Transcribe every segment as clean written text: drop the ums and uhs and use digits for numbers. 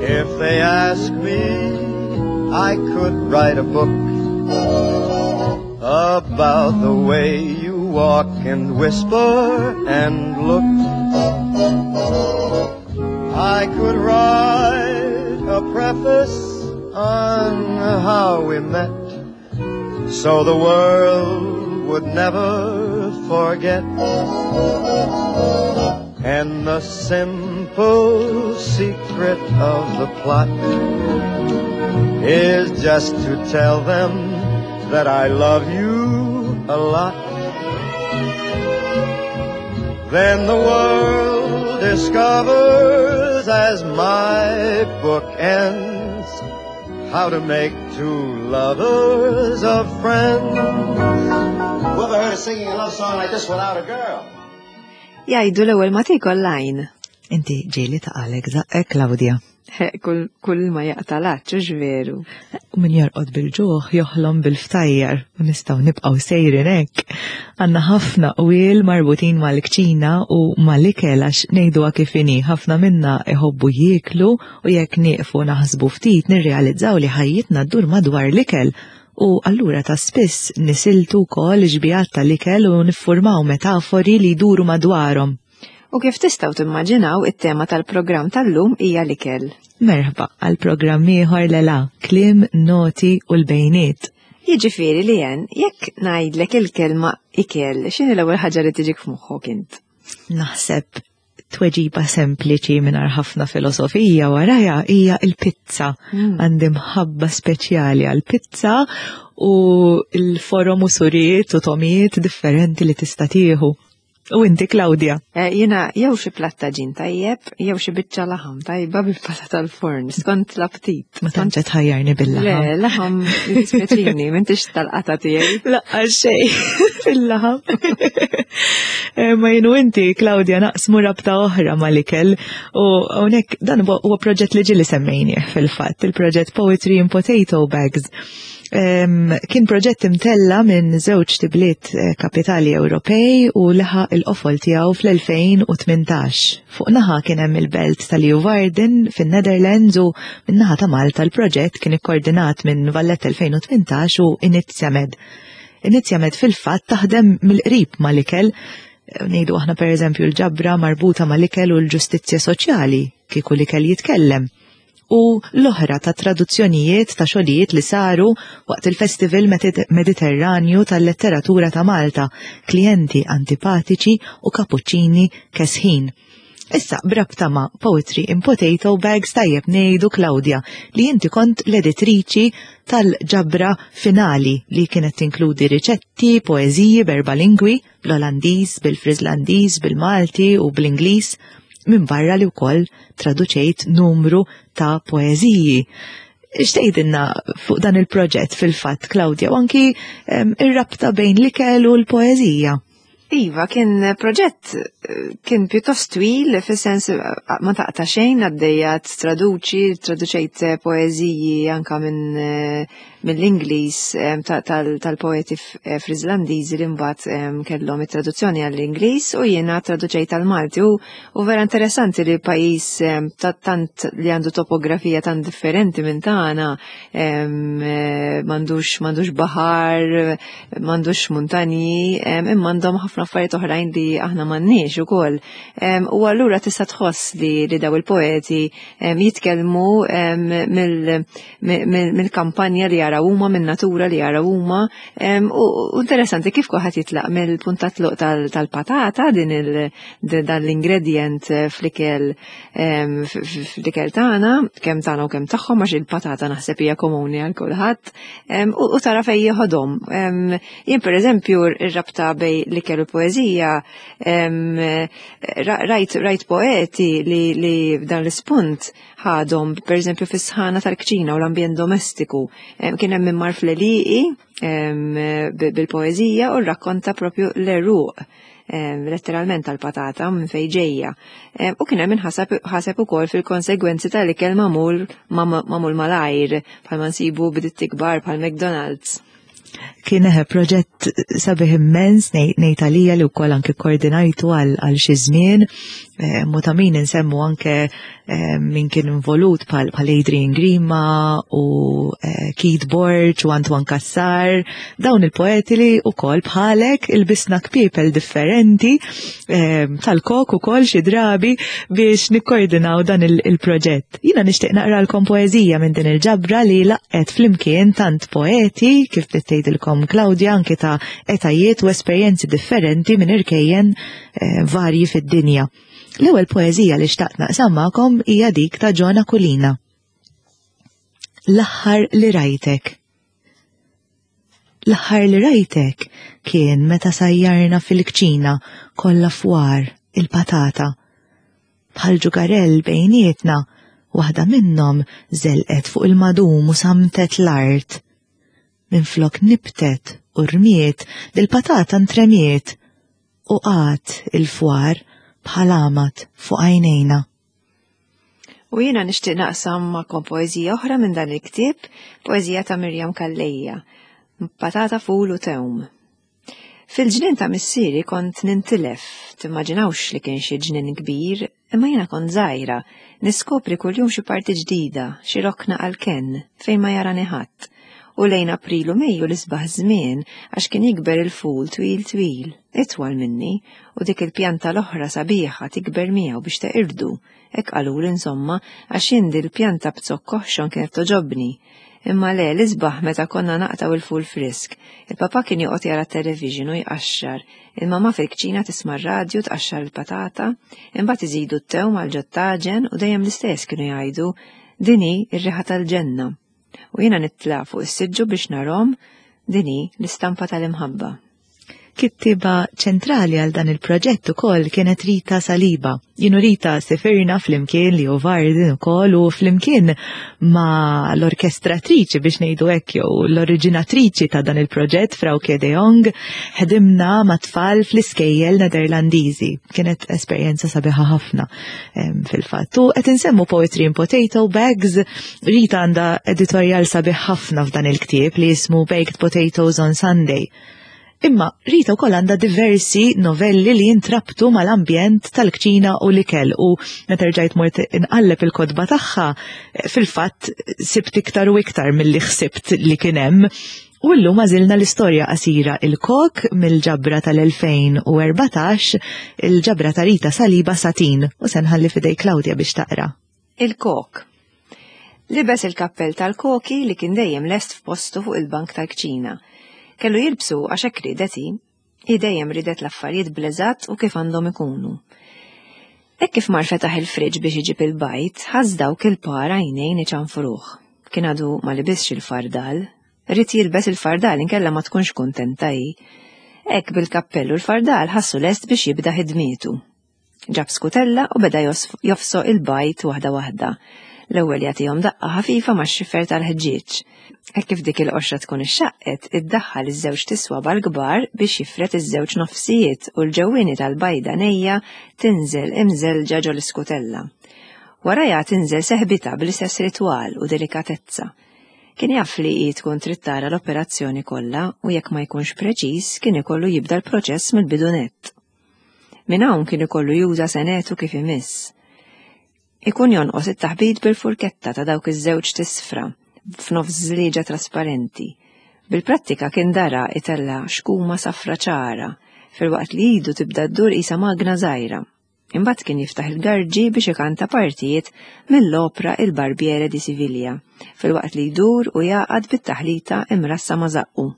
If they ask me, I could write a book about the way you walk and whisper and look. I could write a preface on how we met so the world would never forget. And the simple secret of the plot is just to tell them that I love you a lot. Then the world discovers as my book ends how to make two lovers of friends. Whoever heard of singing a love song like this without a girl? Jgħidu l-ewwel ma tiekol l-għajn. Inti ġieli taqalek żaqqek Claudia. Kull, kull ma jaqta' l-għatx, hux veru? U min jorqod bil-ġuħ joħlom bil-ftajjar u nistgħu nibqgħu sejrin hekk. Għandna ħafna qwiel marbutin mal-kċina u mal-ikel għax ngħiduha kif inhi, ħafna minna iħobbu jieklu u jekk nieqfu naħsbu ftit nirrealizzaw li ħajjitna ddur madwar l-ikel u allura ta' spiss nisiltu wkoll xbihat tal-ikel u niffurmaw metafori li jduru madwarhom. U kif tistgħu timmaġinaw it-tema tal-programm tal-lum hija l-ikel. Merħba għal programm ieħor Lela, kliem, noti u l-bejniet. Jiġifieri li jen, jekk ngħidlek il-kelma ikel, x'inhi l-ewwel ħaġa li tiġik f'moħħok int? Naħseb tweġiba sempliċi mingħajr ħafna filosofija warajha hija l-pizza. Għandi mħabba speċjali għall-pizza u l-forom u suriet u tomijiet differenti li tista' tieħu. U inti, Claudia? Jiena jew xi platt taġin tajjeb, jew xi biċċa laħam tajba bil-pala tal-forn, skont l-aptit. Ma tantx qed tħajjarni bil-laħam. Le, laħam jiddispjaċini, m'intix tal-qata tiegħi. Laqqa xejn fil-laħam. Ma jien u inti, Claudia, naqsmu rabta oħra mal-ikel u hawnhekk dan huwa proġett li ġieli semmejnieh fil-fatt, il-proġett Poetry in Potato Bags. Kien proġett imtella minn żewġ tibliet eh, kapitali Ewropej u leħaq il-qofol tiegħu fl-2018. Fuq naħa kien hemm il-belt ta' Leeuwarden fin-Netherlands u minn naħa ta' Malta l-proġett kien ikkoordinat minn Valletta 2018 u Inizjamed. Inizjamed fil-fatt taħdem mill-qrib mal-ikel, ngħidu aħna pereżempju l-ġabra marbuta mal-ikel u l-ġustizzja soċjali kieku l-ikel jitkellem. u l-oħra ta' traduzzjonijiet ta' xogħlijiet li saru waqt il-Festival Mediterranju tal-Letteratura ta' Malta, Klijenti Antipatiċi u Kapuċċini Kesħin. Issa, b'rabta ma' Poetry in Potato Bags tajjeb ngħidu, Claudia, li inti kont l-editriċi tal-ġabra finali li kienet tinkludi riċetti, poeżiji b'erba' lingwi, bl-Olandiż, bil-Friżlandiż, bil-Malti u bl-Ingliż, minbarra li wkoll traduċejt numru ta' poeżiji. X'tgħidilna fuq dan il-proġett fil-fatt, Claudia, u anki ir-rabta bejn l-ikel u l-poeżija? Iva, kien proġett kien pjuttost twil, fis-sens ma taqta' xejn għaddejja traduċi, traduċejt poeżiji anka minn mill-Ingliż tal-poeti eh, Friżlandiżi li mbagħad kellhom it-traduzzjoni għall-Ingliż u jiena traduċejt għall-Malti u vera interessanti li pajjiż tant li għandu topografija tant differenti minn tagħna eh, m'għandux m'għandux baħar, m'għandux muntanji, imma għandhom ħafna affarijiet oħrajn li aħna m'għandniex ukoll. U allura tista' tħoss li li daw il-poeti jitkellmu mill-kampanja li jaraw huma, min-natura li jaraw huma. U interessanti kif kulħadd jitlaq mill-punt ta' tluq tal-patata din dan l-ingredient eh, fl-ikel fl-ikel tagħna, kemm tagħna u kemm tagħhom għax il-patata naħseb hija komuni għal kulħadd. U tara fejn jieħodhom. Jien pereżempju ir-rabta bej l-ikel u poeżija rajt rajt poeti li li f'dan l-ispunt ħadhom pereżempju fis-sħana tal-kċina u l-ambjent domestiku. Kien hemm min mar fl-għelieqi bil-poeżija u rrakkonta propju l-għeruq letteralment tal-patata minn fejn ġejja. U kien hemm min ħaseb ukoll fil-konsegwenzi tal-ikel magħmul magħmul malajr bħalma nsibu b'ditti kbar bħal McDonald's. Kien eħe proġett sabiħ immens ngħid għalija li wkoll anki koordinajtu għal xi żmien. Mu ta' min insemmu anke min kien involut bħal Adrian Grima u Keith Borg u Antoine Cassar, dawn il-poeti li wkoll bħalek ilbisna kpiepel differenti tal-kok ukoll xi drabi biex nikkoordinaw dan il-proġett. Jiena nixtieq naqralkom poeżija minn din il-ġabra li laqqet flimkien tant poeti kif bdiet tgħidilkom Claudia anke ta' etajiet u esperjenzi differenti minn irkejjen varji fid-dinja. L-ewwel poeżija li xtaqt naqsam magħkom hija dik ta' John Aquilina. L-aħħar li rajtek. L-aħħar li rajtek kien meta sajjarna fil-kċina kollha fwar il-patata. Bħal ġugarell bejnietna, waħda minnhom żelqet fuq il-madum u samtet l-art. Minflok nibtet u rmiet, dil-patata ntremiet u qagħad il-fwar bħal għamad fuq għajnejna. U jiena nixtieq naqsam magħkom poeżija oħra minn dan il-ktieb, poeżija ta' Mirjam Calleja, Patata Ful u Tewm. Fil-ġnien ta' missieri kont nintilef, timmaġinawx li kien xi ġnien kbir, imma jiena kont żgħira, niskopri kuljum xi parti ġdida, xi rokna għall-kenn, fejn ma jarani ħadd. U lejn April u Mejju l-isbaħ żmien għax kien jikber il-ful twil twil, itwal minni, u dik il-pjanta l-oħra sabiħa tikber miegħu biex teqirdu. Hekk qaluli insomma, għax jien dil-pjanta b'zokk oħxon kienet togħġobni. Imma le, l-isbaħ meta konna naqtgħu il-ful frisk. Il-papà kien joqgħod jara t-television u jqaxxar, il-mamà fil-kċina tisma' r-radju tqaxxar il-patata, imbagħad iżidu t-tewm għal ġot-taġen u dejjem l-istess kienu jgħidu, Din hi r-riħa tal-ġenna. U jiena nitla' fuq is-siġġu biex narhom, din hi l-istampa tal-imħabba. Kittieba ċentrali għal dan il-proġett ukoll kienet Rita Saliba. Jien u Rita sifirna flimkien li Varden ukoll u flimkien ma l-orkestratriċi biex ngħidu hekk jew l-oriġinatriċi ta' dan il-proġett Frauke de Jong ħdimna ma' tfal fl-iskejjel Nederlandiżi. Kienet esperjenza sabiħa ħafna fil-fatt. U qed insemmu Poetry in Potato Bags, Rita għandha editorjal sabiħ ħafna f'dan il-ktieb li jismu Baked Potatoes on Sunday. Imma Rita wkoll għandha diversi novelli li jintrabtu mal-ambjent tal-kċina u l-ikel u meta rġajt mort inqalleb il-kotba tagħha fil-fatt sibt iktar u iktar milli ħsibt li kien hemm. U llum għażilna l-istorja qasira Il-Kok mill-ġabra tal-2014, il-ġabra ta' Rita Saliba Satin, u se nħalli f'idej Claudia biex taqra. Il-kok. Libes il-kappell tal-koki li kien dejjem lest f'postu fuq il-bank tal-kċina. Kellu jilbsu għax hekk riedet hi. Hi dejjem riedet l-affarijiet bl-eżatt u kif għandhom ikunu. Hekk kif mar fetaħ il-friġġ biex iġib il-bajd, ħass dawk il-par għajnejn iċanfruh. Kien għadu ma libisx il-fardal. Ried jilbes il-fardal inkella ma tkunx kuntenta hi. Hekk bil-kappell u l-fardal ħassu lest biex jibda ħidmietu. Ġab skutella u beda jofsoq il-bajd waħda waħda. L-ewwel jagħtihom daqqa ħafifa max-xifer tal-ħġieġ. Hekk kif dik il-qoxra tkun ixxaqqet, iddaħħal iż-żewġ tiswaba l-kbar biex jifred iż-żewġ nofsijiet u l-ġewwieni tal-bajda nejja tinżel imżellġa ġol-iskutella. Warajha tinżel seħbitha bl-istess ritwal u delikatezza. Kien jaf li hi tkun trid tara l-operazzjoni kollha u jekk ma jkunx preċiż kien ikollu jibda l-proċess mill-bidu nett. Minn hawn kien ikollu juża senetu kif imiss. Ikun jonqos it-taħbit bil-furketta ta' dawk iż-żewġ tisfra f'nofs żlieġa trasparenti. Bil-prattika kien dara itella' xkuma safra ċara filwaqt li idu tibda ddur qisha magna żgħira. Imbagħad kien jiftaħ il-garġi biex ikanta partijiet mill-opra Il Barbiere di Siviglia filwaqt li jdur u jagħqad bit-taħlita imrassa ma' żaqqu.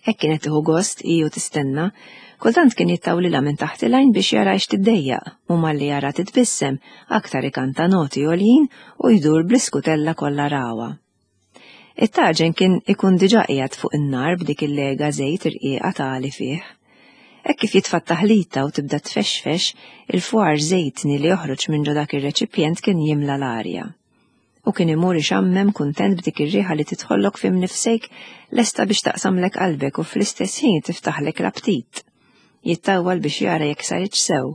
Hekk kienet tieħu gost hi u tistenna. Kultant kien jittawlilha minn taħt il-għajn biex jara x tiddejjaq u malli jara titbissem aktar ikanta noti għoljin u jdur bl-iskutella kollha ragħwa. It-taġen kien ikun diġà qiegħed fuq in-nar b'dik il-lega żejt irqiqa tagħli fih. Hekk kif jitfa' t-taħlita u tibda tfexfex, il-fwar żejtni li joħroġ minn ġo dak ir-reċipjent kien jimla l-arja. U kien imur ixammem kuntent b'dik ir-riħa li tidħollok fi mnifsejk lesta biex taqsamlek qalbek u fl-istess ħin tiftaħlek l-aptit. Jittawwal biex jara jekk saritx sew.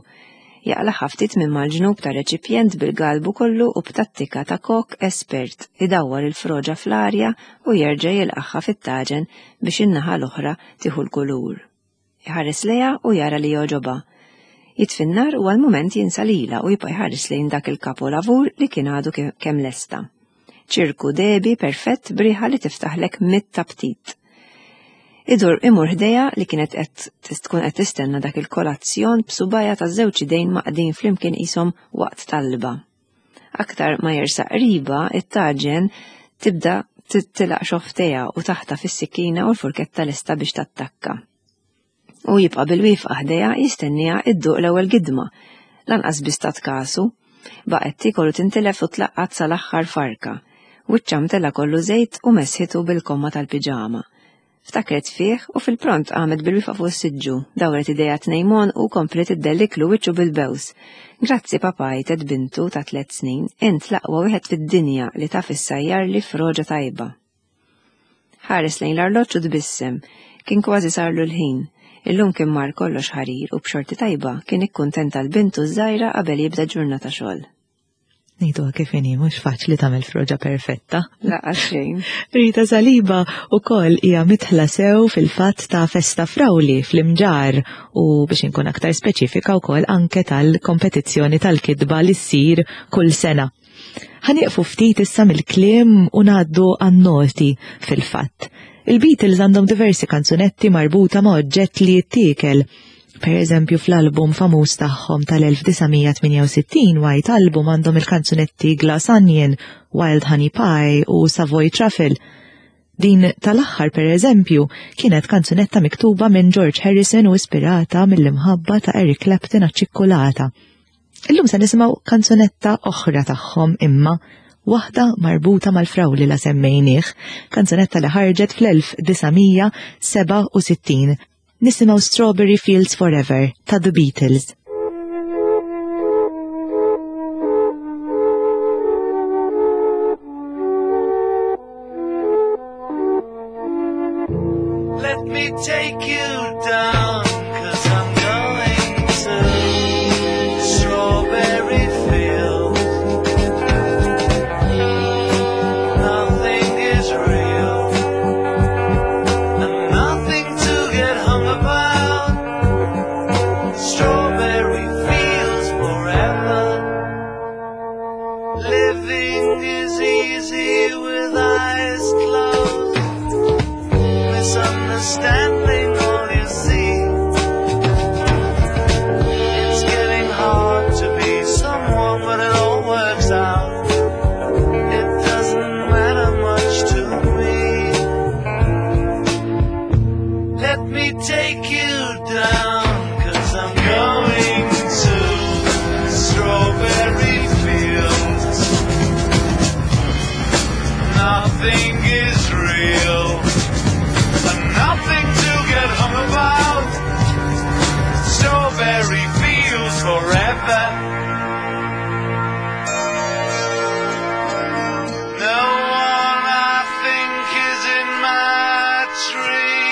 Jaqlagħha ftit minn mal-ġnub tar-reċipjent bil-galbu kollu u b'tattika ta' kok espert idawwar il-froġa fl-arja u jerġa' jilqagħha fit-taġen biex in-naħa l-oħra tieħu l-kulur. Iħares lejha u jara li jogħġobha. Jitfi n-nar u għal mument jinsa lilha u jibqa' jħares lejn dak il-kapolavur li kien għadu kemm lesta. Ċirku dehbi perfett b'riħa li tiftaħlek mitt aptit. Idur imur ħdejha li kienet qed tkun qed tistenna dak il-kolazzjon b'subgħajha ta' żewġ idejn maqdin flimkien qishom waqt talba. Aktar ma jersaq qribha, it-taġen tibda tilaq xofftejha u taħtaf is-sikkina u l-furketta lesta biex tattakka. U jibqa' bil-wieqfa ħdejha jistenniha idduq l-ewwel gidma. Lanqas biss tat kasu. Baqgħet tiekol u tintilef u tlaqqat sal-aħħar farka. Wiċċha mtela kollu żejt u mesħitu bil-komma tal-piġama. Ftakret fih u fil-pront qamet bil-wieqfa fuq is-siġġu, dawret idejha tnejn m'għonqu u kompliet iddelliklu wiċċu bil-bews. Grazzi papà għajtet bintu ta' tlett snin, int l-aqwa wieħed fid-dinja li taf issajjarli froġa tajba. Ħares lejn l-arloġġ u tbissem. Kien kważi sarlu l-ħin. Illum kien mar kollox ħarir u b'xorti tajba kien ikkuntenta l-bintu ż-żgħira qabel jibda ġurnata xogħol. Ngħiduha kif inhi, mhux faċli tagħmel froġa perfetta. Laqas xejn. Rita Saliba wkoll hija mitħla sew fil-fatt ta' festa frawli fl-Imġarr u biex inkun aktar speċifika wkoll anke tal-kompetizzjoni tal-kitba li ssir kull sena. Ħanieqfu ftit issa mill-kliem u ngħaddu għan-noti fil-fatt. Il-Beatles għandhom diversi kanzunetti marbuta ma' oġġett li jittiekel. Per eżempju fl-album famuż tagħhom tal-1968 White Album għandhom il-kanzunetti Glass Onion, Wild Honey Pie u Savoy Truffle. Din tal-aħħar per eżempju kienet kanzunetta miktuba minn George Harrison u ispirata mill-imħabba ta' Eric Clapton għaċ-ċikkulata. Illum se nisimgħu kanzunetta oħra tagħhom imma waħda marbuta mal-frawli la semmejnieh, kanzunetta li ħarġet fl-1967. Nisimgħu Strawberry Fields Forever ta' The Beatles. Let me take you down, 'cause I'm going to Strawberry Fields. Nothing is real, and nothing to get hung about. Strawberry Fields forever. Living is easy with eyes closed. Misunderstanding all you see. It's getting hard to be someone, but it all works out. It doesn't matter much to me. Let me take you down, 'cause I'm going to Strawberry Fields. Nothing is real, and nothing to get hung about. Strawberry Fields forever. No one I think is in my tree.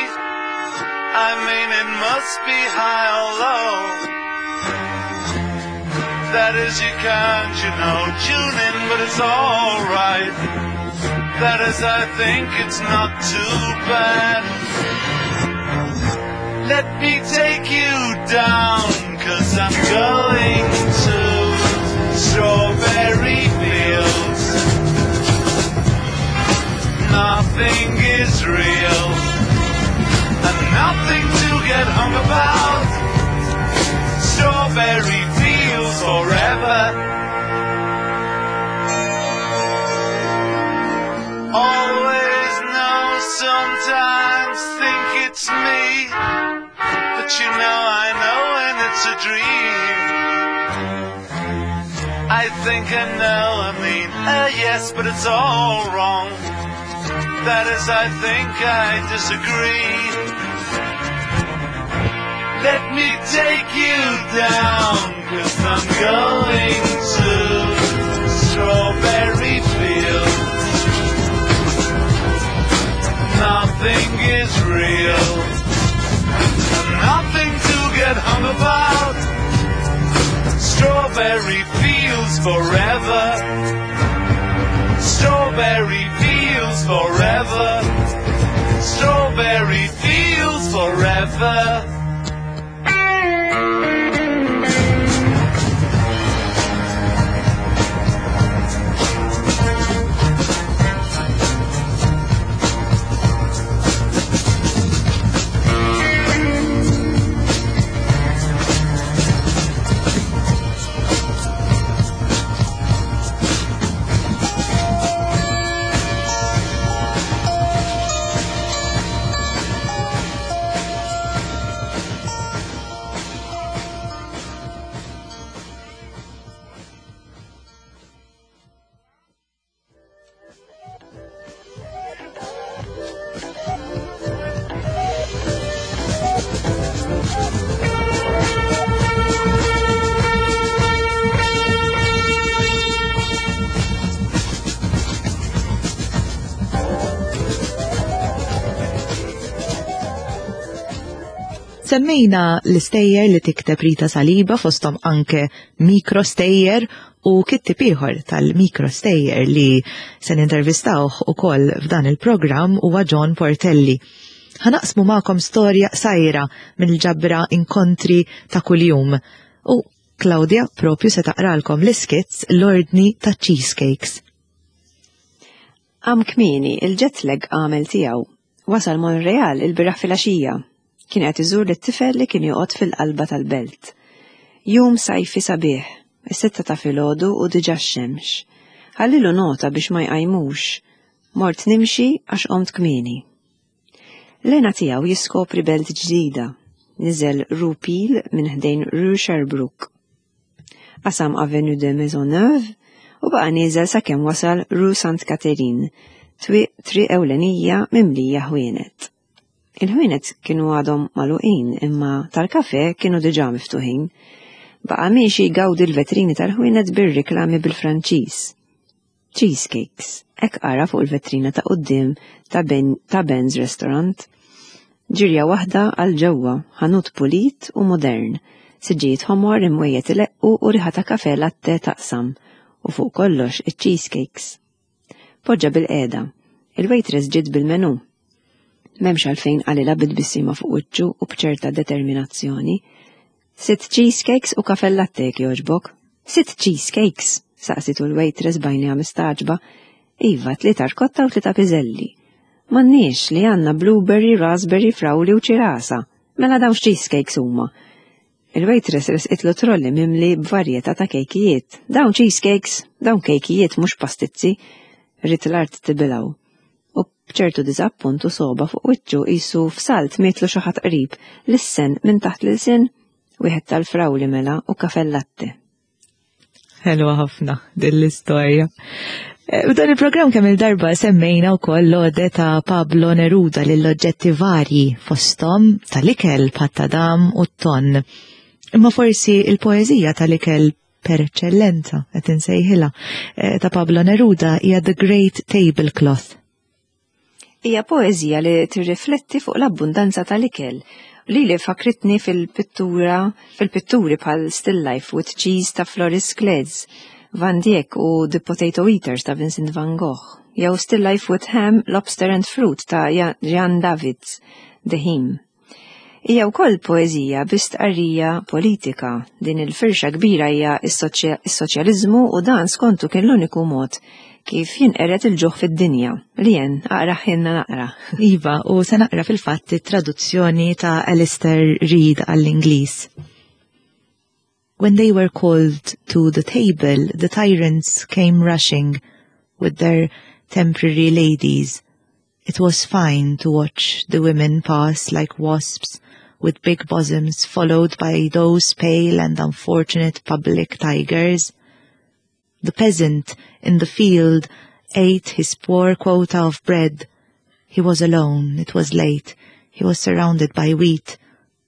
I mean, it must be high or low. That is, you can't, you know, tune in, but it's all right. That is, I think it's not too bad. Let me take you down, 'cause I'm going to Strawberry Fields. Nothing is real, and nothing to get hung about. Strawberry Fields forever. Always know, sometimes think it's me, but you know I know when it's a dream. I think I know, I mean, yes, but it's all wrong. That is, I think I disagree. Let me take you down, 'cause I'm going to Strawberry Fields. Nothing is real, and nothing to get hung about. Strawberry Fields forever. Strawberry Fields forever. Strawberry Fields forever. Semmejna l-istejjer li tikteb Rita Saliba fosthom anke mikrostejjer u kittib ieħor tal-mikrostejjer li se nintervistawh ukoll f'dan il-programm huwa John Portelli. Ħanaqsmu magħkom storja qsajra mill-ġabra Inkontri ta' kuljum. U Claudia propju se taqralkom l-iskizz L-Ordni ta' Cheesecakes. Qam kmieni, il-jet lag għamel tiegħu. Wasal Montreal ilbieraħ filgħaxija. Kien qed iżur lit-tifel li kien joqgħod fil-qalba tal-belt. Jum sajfi sabiħ, is-sitta ta' filgħodu u diġà x-xemx. Ħallilu nota biex ma jqajmux. Mort nimxi għax qomt kmieni. L-hena tiegħu jiskopri belt ġdida. Niżel Rue Peel minn ħdejn Rue Sherbrooke. Qasam Avenue de Maisonneuve u baqa' nieżel sakemm wasal Rue Sainte-Catherine, triq ewlenija mimlija ħwienet. Il-ħwienet kienu għadhom magħluqin imma tal-kafè kienu diġà miftuħin. Baqa' miexi jgawdi l-vetrini tal-ħwienet bir-riklami bil-Franċiż. Cheesecakes, hekk qara fuq il-vetrina ta' quddiem ta' ben, ta' Ben's Restaurant. Ġirja waħda għal ġewwa, ħanut pulit u modern, siġġijiet ħomor imwejjed ileqqu u riħa ta' kafè latte taqsam, u fuq kollox iċ-cheesecakes. Poġġa bilqiegħda. Il-waitress ġiet bil-menù. M'hemmx għalfejn qalilha bi tbissima fuq wiċċu u b'ċerta determinazzjoni. Sitt cheesecakes u kafè latte jekk jogħġbok. Sitt cheesecakes? saqsitu l-waitress b'għajnejha mistagħġba. Iva, tlieta rkotta u tlieta piżelli. M'għandniex li għandna blueberry, raspberry, frawli u ċirasa. Mela dawn x'cheesecakes huma? Il-waitress resqitlu trolli mimli b'varjetà ta' kejkijiet. Dawn cheesecakes, dawn kejkijiet mhux pastizzi. Ried l-art tibilgħu. U b'ċertu diżappunt u sogħba fuq wiċċu qisu f'salt mietlu xi ħadd qrib, lissen minn taħt l-ilsien, wieħed tal-frawli mela u kafè latte. Ħelwa ħafna din l-istorja. Eh, u dan il-programm kemm il-darba semmejna wkoll l-ode ta' Pablo Neruda lil oġġetti varji fosthom tal-ikel pattadam u t-ton. Imma forsi il-poeżija tal-ikel per eċċellenza qed insejħilha eh, ta' Pablo Neruda hija The Great Tablecloth. Hija poeżija li tirrifletti fuq l-abbundanza tal-ikel li li fakritni fil-pittura fil-pitturi bħal Still Life with Cheese ta' Floris Klez, Van Dijk u The Potato Eaters ta' Vincent van Gogh, jew Still Life with Ham, Lobster and Fruit ta' Jan Davids, The Hymn. Hija wkoll poeżija bi stqarrija politika. Din il-firxa kbira hija s-soċjaliżmu u dan skontu kien l-uniku mod kif jinqered il-ġuħ fid-dinja. Lien, aqra ħinna naqra. Iva, u se naqra fil-fatt it-traduzzjoni ta' Alistair Reid għall-Ingliż. When they were called to the table, the tyrants came rushing with their temporary ladies. It was fine to watch the women pass like wasps with big bosoms followed by those pale and unfortunate public tigers. The peasant in the field ate his poor quota of bread. He was alone, it was late, he was surrounded by wheat,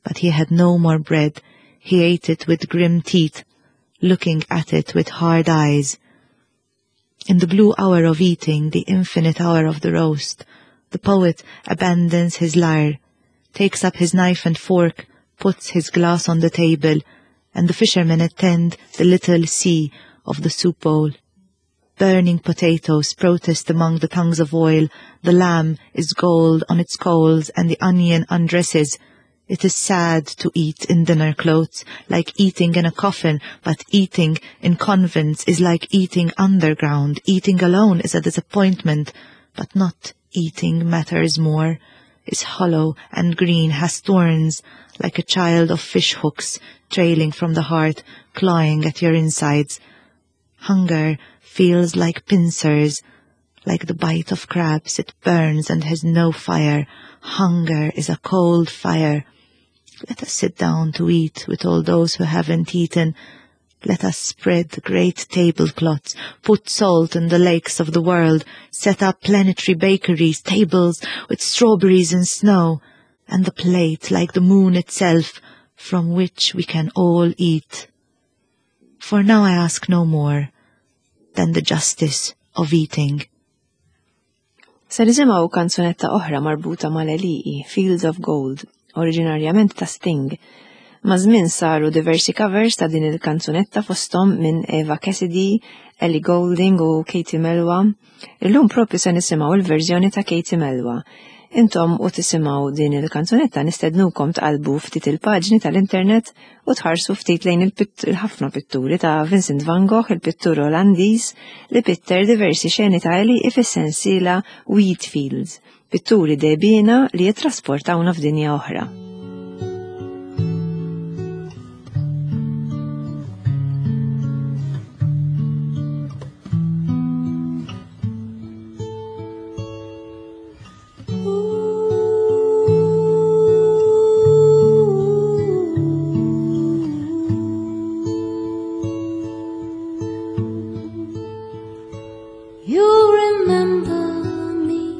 but he had no more bread. He ate it with grim teeth, looking at it with hard eyes. In the blue hour of eating, the infinite hour of the roast, the poet abandons his lyre, takes up his knife and fork, puts his glass on the table, and the fishermen attend the little sea of the soup bowl. Burning potatoes protest among the tongues of oil, the lamb is gold on its coals, and the onion undresses. It is sad to eat in dinner clothes, like eating in a coffin, but eating in convents is like eating underground. Eating alone is a disappointment, but not eating matters more. Is hollow and green, has thorns, like a child of fish hooks, trailing from the heart, clawing at your insides. Hunger feels like pincers, like the bite of crabs, it burns and has no fire. Hunger is a cold fire. Let us sit down to eat with all those who haven't eaten. Let us spread great tablecloths, put salt in the lakes of the world, set up planetary bakeries, tables with strawberries and snow, and the plate like the moon itself, from which we can all eat. For now I ask no more than the justice of eating. Se nisimgħu kanzunetta oħra marbuta mal-għelieqi, Fields of Gold, oriġinarjament ta' Sting. Maż-żmien saru diversi covers ta' din il-kanzunetta fosthom minn Eva Cassidy, Ellie Goulding u Katie Melua. Illum propju se nisimgħu il-verżjoni ta' Katie Melua. Intom u tisimgħu din il-kanzunetta nistednukom tqalbu ftit il-paġni tal-internet u tħarsu ftit lejn il-ħafna pitturi ta' Vincent van Gogh, il-pittur Olandiż li pitter diversi xeni ta' għelieqi fis-sensiela Wheat Fields. Pitturi dehbiena li jittrasportawna f'dinja oħra. You remember me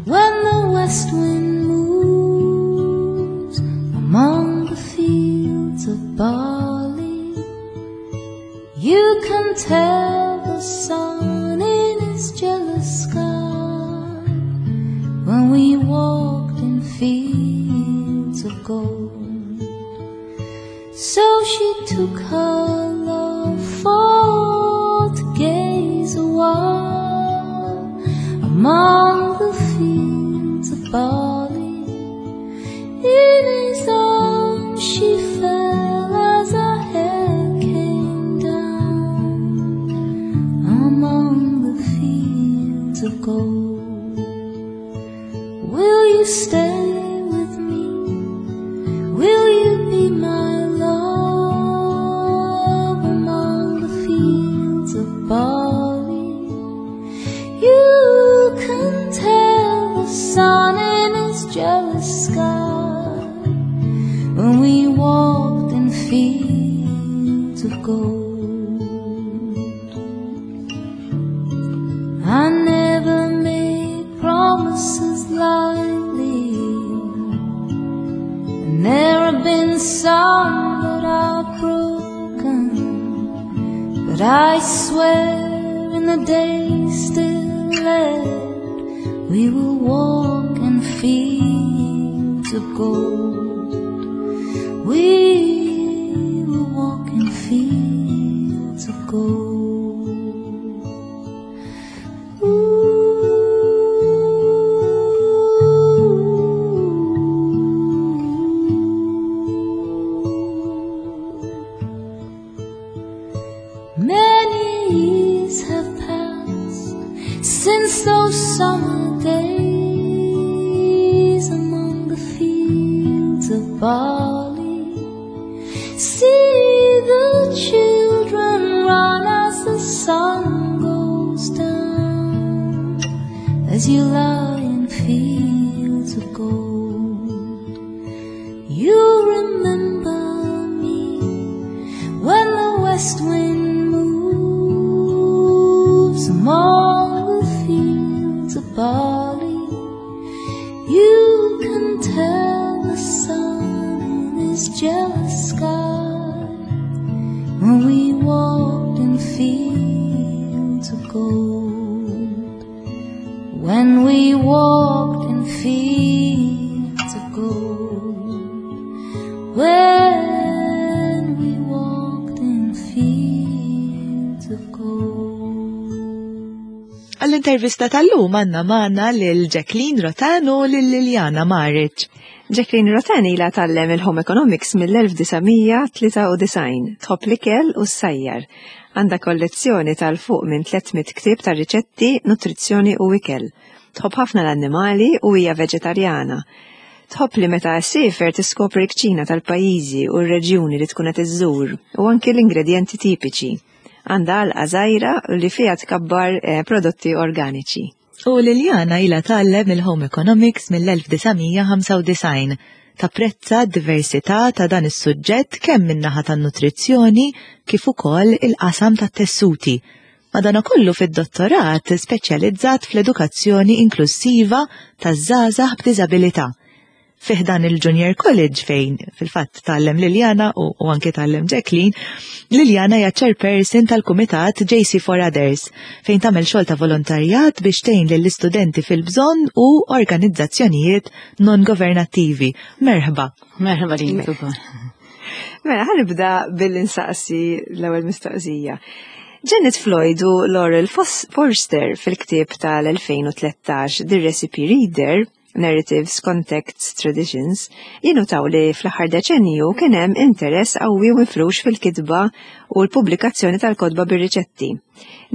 when the west wind moves among the fields of barley. You can tell the sun in his jealous sky when we walked in fields of gold. So she took her love for to gaze a while among the fields of barley. In his arms she fell as her hair came down among the fields of gold. Will you stay with me? Will you be my love among the fields of barley? You can tell the sun in his jealous sky when we walked in fields of gold. I never made promises lightly, and there have been some that I've broken, but I swear in the days still left we will walk in fields of gold. We will walk in fields of gold. Many years have passed since those summer days among the fields of barley. See the children run as the sun goes down, as you lie in fields of gold. You remember me when the west wind moves among the fields of barley. You can tell the sun in his jealous sky when we walked in fields of gold. When we walked in fields of gold. When we walked in fields of gold. Għall-intervista tal-lum għandna magħna lil Jacqueline Rotan u lil Liliana Maric. Jacqueline Rotan ilha tgħallem il-Home Economics mill-1993, tħobb l-ikel u s-sajjar. Għandha kollezzjoni tal-fuq minn 300 ktieb ta' riċetti, nutrizzjoni u ikel. Tħobb ħafna l-annimali u hija veġetarjana. Tħobb li meta ssiefer tiskopri l-kċina tal-pajjiżi u r-reġjuni li tkun qed iżżur u anki l-ingredjenti tipiċi. Għandha għalqa żgħira li fiha tkabbar eh, prodotti organiċi. U Liliana ilha tgħallem il-Home Economics mill-1995. Tapprezza d-diversità ta' dan is-suġġett kemm min-naħa tan-nutrizzjoni kif ukoll il-qasam tat-tessuti. Madanakollu fid-dottorat speċjalizzat fl-edukazzjoni inklussiva taż-żgħażagħ b'diżabilità. Fi ħdan il-Junior College fejn fil-fatt tgħallem Liliana u, u anke tgħallem Jacqueline, Liliana hija chairperson tal-kumitat JC for Others fejn tagħmel xogħol ta' volontarjat biex tgħin lill-istudenti fil-bżonn u organizzazzjonijiet non-governattivi. Merħba. Merħba lilek ukoll. Mela, ħanibda billi nsaqsi l-ewwel mistoqsija. Janet Floyd u Laurel Forster fil-ktieb tal-2013 The Recipe Reader Narratives, Contexts, Traditions, jinnutaw li fl-aħħar deċenju kien hemm interess qawwi u mifrux fil-kitba u l-pubblikazzjoni tal-kotba bir-riċetti.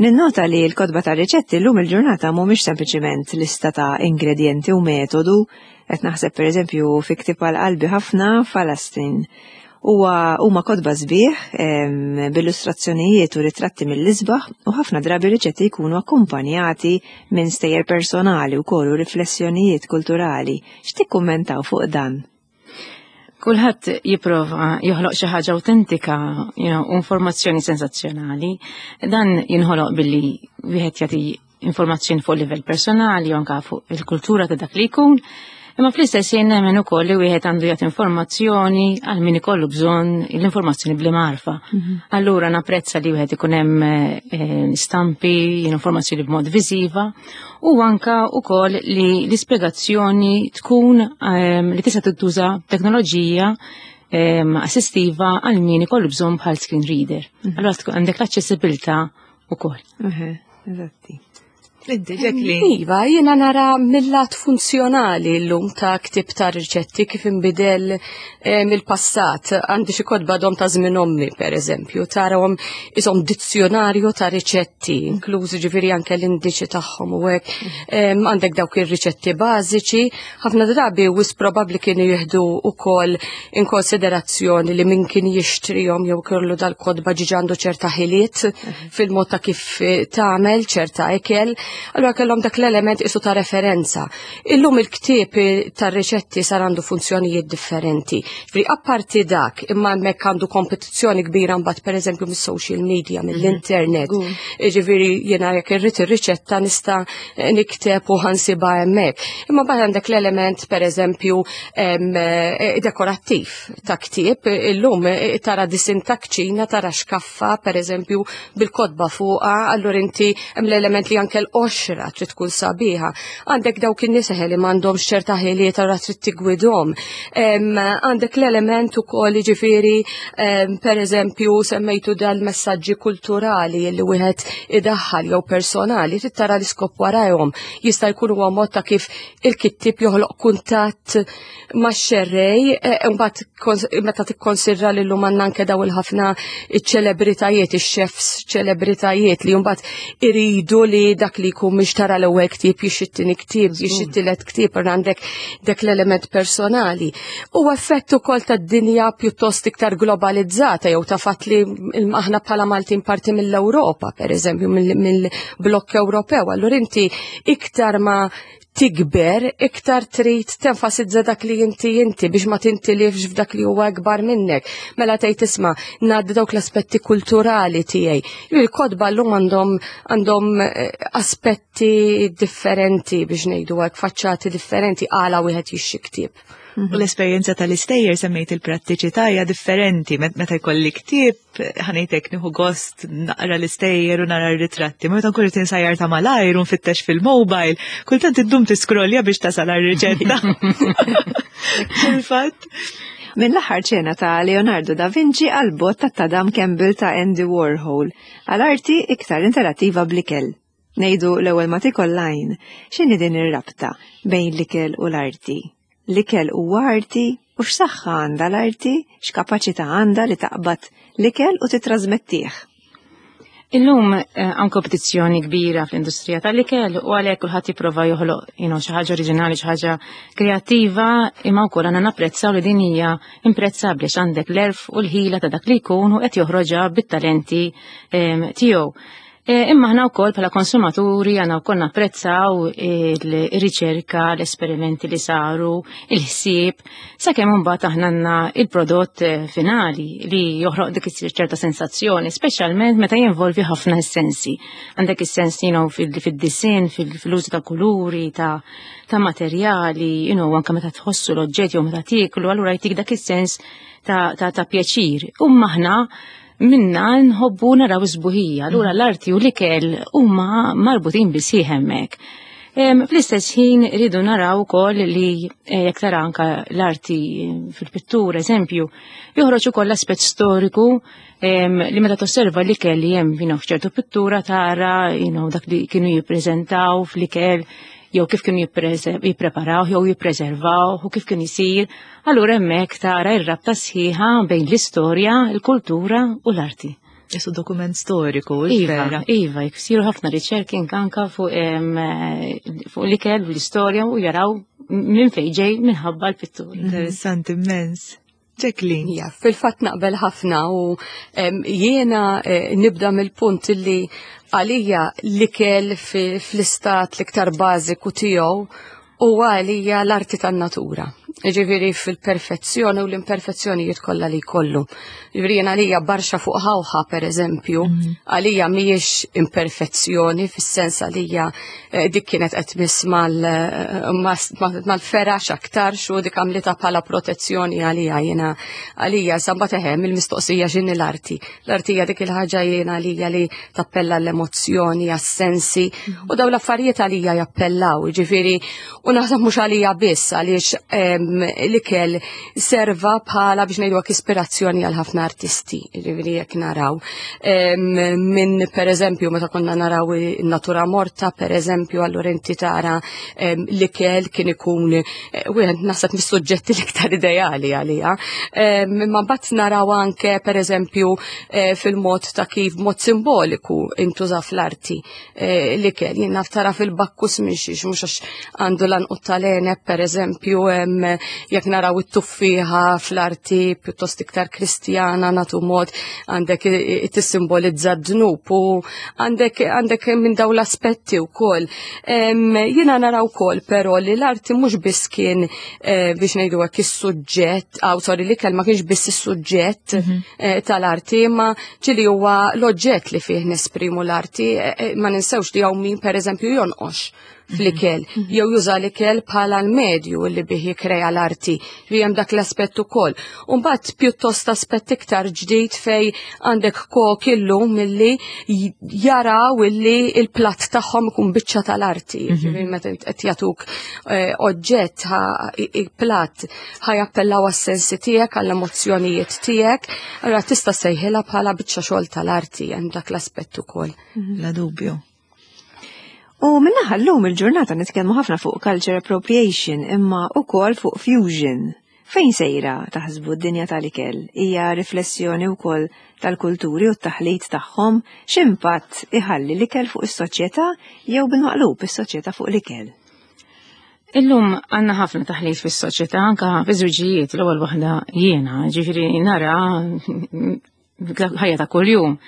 Ninnota li l-kotba tar-riċetti llum il-ġurnata mhumiex sempliċiment lista ta' ingredjenti u metodu, qed naħseb pereżempju fi ktieb għal qalbi ħafna Falastin. Huwa huma kotba sbieħ b'illustrazzjonijiet u ritratti mill-isbaħ u ħafna drabi riċetti jkunu akkumpanjati minn stejjer personali wkoll u riflessjonijiet kulturali. X'tikkummentaw fuq dan? Kulħadd jipprova joħloq xi ħaġa awtentika, informazzjoni sensazzjonali. Dan jinħoloq billi wieħed jagħti informazzjoni fuq livell personali u anka fuq il-kultura ta' dak li jkun. Imma fl-istess jien nemmen ukoll li wieħed għandu jagħti informazzjoni għal min ikollu bżonn l-informazzjoni bl-imgħarfa. Allura napprezza li wieħed ikun hemm stampi, informazzjoni b'mod viżiva u anka ukoll li l-ispjegazzjoni tkun li tista' tintuża teknoloġija assistiva għal min ikollu bżonn bħal screen reader. Allura tkun għandek l-aċċessibilità ukoll. Eżatti. Inti, Jacqueline. Iva, jiena nara mill-lat funzjonali l-lum ta' ktib ta' riċetti kif inbidel mill-passat. Għandi xi kotba dom ta' żmien ommi, per eżempju, tarahom isom dizzjonarju ta' riċetti, inklużi ġifieri anke l-indiċi tagħhom u hekk. Għandek dawk ir-riċetti bażiċi, ħafna drabi wis probabbli kienu jieħdu wkoll in konsiderazzjoni li min kien jixtrihom jew kellu dal-kotba ġiġa għandu ċerta ħiliet fil-mod ta' kif tagħmel ċerta ikel, allura kellhom dak l-element isu ta' referenza. Illum il-ktieb tar-riċetti sar għandu funzjonijiet differenti. Ġifieri apparti dak, imma hemmhekk għandu kompetizzjoni kbira mbagħad pereżempju mis-social media, mill-internet. Ġifieri jiena jekk irrid ir-riċetta nista' nikteb u ħansibha hemmhekk. Imma mbagħad għandek l-element pereżempju dekorattiv ta' ktieb, illum tara disin ta' kċina, tara xkaffa pereżempju bil-kotba fuqha, allura inti hemm l-element li anke l-qoxra trid tkun sabiħa. Għandek dawk in-nies li m'għandhomx ċerta ħiliet allura trid tigwidhom. Għandek l-element ukoll jiġifieri pereżempju semmejtu dal-messaġġi kulturali li wieħed idaħħal jew personali, trid tara l-iskop warajhom. Jista' jkun huwa mod ta' kif il-kittib joħloq kuntatt max-xerrej, mbagħad meta tikkonsidra li llum għandna anke daw il-ħafna ċ-ċelebritajiet, ix-chefs ċelebritajiet li mbagħad iridu li dak li jkun mhix tara l-ewwel ktieb, jixtri t-tieni ktieb, jixtri t-tielet ktieb, u għandek dak l-element personali. U effett ukoll tad-dinja pjuttost iktar globalizzata jew ta' fatt li aħna bħala Maltin parti mill-Ewropa, per eżempju, mill-blokk Ewropew. Allura inti iktar ma tikber, iktar trid tenfasizza dak li inti inti biex ma tintilifx f'dak li huwa akbar minnek. Mela tgħid isma' ngħaddi dawk l-aspetti kulturali tiegħi. Il-kotba llum għandhom aspetti differenti biex ngħidu hekk, faċċati differenti għala wieħed jixtri ktieb. U l-esperjenza tal-istejjer semmejt il-prattiċità hija differenti meta jkolli ktieb ħanejtek nieħu gost naqra l-istejjer u nara r-ritratti. Meta nkun qed insajjar ta' malajr u nfittex fil-mobile, kultant iddum tiskrollja biex tasal għar-riċetta. Fil-fatt. Minn l-aħħar ċena ta' Leonardo da Vinci għal bott ta' tadam Campbell ta' Andy Warhol, għal arti iktar interattiva bl-ikel. Ngħidu l-ewwel ma tikol lajn, x'inhi din ir-rabta bejn l-ikel u l-arti? L-ikel huwa arti u x'saħħa għandha l-arti, x'kapaċità għandha li taqbad l-ikel u titrasmettih. Illum hawn kompetizzjoni kbira fl-industrija tal-ikel u għalhekk kulħadd jipprova joħloq xi ħaġa oriġinali, xi ħaġa kreattiva, imma wkoll għandna napprezzaw li din hija imprezzabbli għax għandek l-għerf u l-ħila ta' dak li jkun u qed joħroġha bit-talenti tiegħu. Imma aħna wkoll bħala konsumaturi għandna wkoll napprezzaw il-riċerka, l-esperimenti li saru, il-ħsieb, sakemm imbagħad aħna għandna il-prodott finali li joħroq dik ċerta sensazzjoni, speċjalment meta jinvolvi ħafna s-sensi. Għandek is-sens fid-disinn, fil-użu ta' kuluri, ta' materjali, anke meta tħossu l-oġġett jew meta tieklu, allura jtik dak is-sens ta' pjaċir. U aħna minna nħobbu naraw sbuħija, allura l-arti u l-ikel huma marbutin bisħieħ hemmhekk. Fl-istess ħin rridu naraw ukoll li jekk tara anka l-arti fil-pittura, eżempju, joħroġ ukoll l-aspett storiku li meta tosserva l-ikel li hemm f'ċertu pittura tara dak li kienu jippreżentaw fl-ikel jew kif kienu jippreparaw jew jippreservaw u kif kien isir, allura hemmhekk tara r-rabta sħiħa bejn l-istorja, il-kultura u l-arti. Isu dokument storiku, Iva, vera. iva, jsiru ħafna riċerki anka fuq l-ikel u l-istorja u jaraw minn fejn ġej minħabba l-pittura. Interessanti immens. Jacqueline. Ja, fil-fatt naqbel ħafna u jiena nibda mill-punt li għalija l-ikel fl-istat l-iktar bażiku tiegħu huwa għalija l-arti tan-natura. Ġifieri fil-perfezzjoni u l-imperfezzjonijiet kollha li jkollu. Ġifieri jien għalija barxa fuq ħawħa per eżempju, għalija mhijiex imperfezzjoni fis-sens għalija dik kienet qed tmiss mal-ferax aktar xu dik għamlitha bħala protezzjoni għalija jiena għalija samba teħem il-mistoqsija x'inhi l-arti. L-arti hija dik il-ħaġa jiena għalija li tappella l-emozzjoni, għas-sensi u dawn l-affarijiet għalija jappellaw, ġifieri u naħseb mhux għalija biss għaliex l-ikel serva bħala biex ngħidu hekk ispirazzjoni għal ħafna artisti, ġifieri jekk naraw. Minn per eżempju meta konna naraw in-natura morta per eżempju, allura inti tara l-ikel kien ikun wieħed naħseb mis-suġġetti l-iktar ideali għalija. Imma mbagħad naraw anke per eżempju fil-mod ta' kif mod simboliku intuża fl-arti l-ikel. Jien naf tara fil-bakkus minn xiex, mhux għax għandu l-anqut tal-għeneb, per eżempju, jekk naraw it-tuffieħa fl-arti pjuttost iktar kristjana natu mod għandek tissimbolizza d-dnub u għandek minn dawn l-aspetti wkoll. Jiena naraw ukoll però li l-arti mhux biss kien biex ngħidu hekk is-suġġett, aw sorry, l-ikel ma kienx biss is-suġġett tal-arti, imma ġieli huwa l-oġġett li fih nesprimu l-arti, ma ninsewx li hawn min per eżempju jonqox fl-ikel, jew juża l-ikel bħala l-medju li bih jikrea l-arti, li hemm dak l-aspett ukoll. U mbagħad pjuttost aspett iktar ġdid fej għandek kok illum milli jaraw illi il-platt tagħhom ikun biċċa tal-arti. Ġifieri meta qed jagħtuk oġġett platt ħajappellaw għas-sensi tiegħek, għall-emozzjonijiet tiegħek, allura tista' sejħilha bħala biċċa xogħol tal-arti, hemm dak l-aspett ukoll. La dubju. U minnaħa llum il-ġurnata nitkellmu ħafna fuq culture appropriation imma ukoll fuq fusion. Fejn sejra taħsbu d-dinja tal-ikel? Hija riflessjoni wkoll tal-kulturi u t-taħlit tagħhom? X'impatt iħalli l-ikel fuq is-soċjetà jew bil-maqlub is-soċjetà fuq l-ikel? Illum għandna ħafna taħlit fis-soċjetà, anka fi żwiġijiet, l-ewwel waħda jiena, ġifieri nara ħajja ta' kuljum.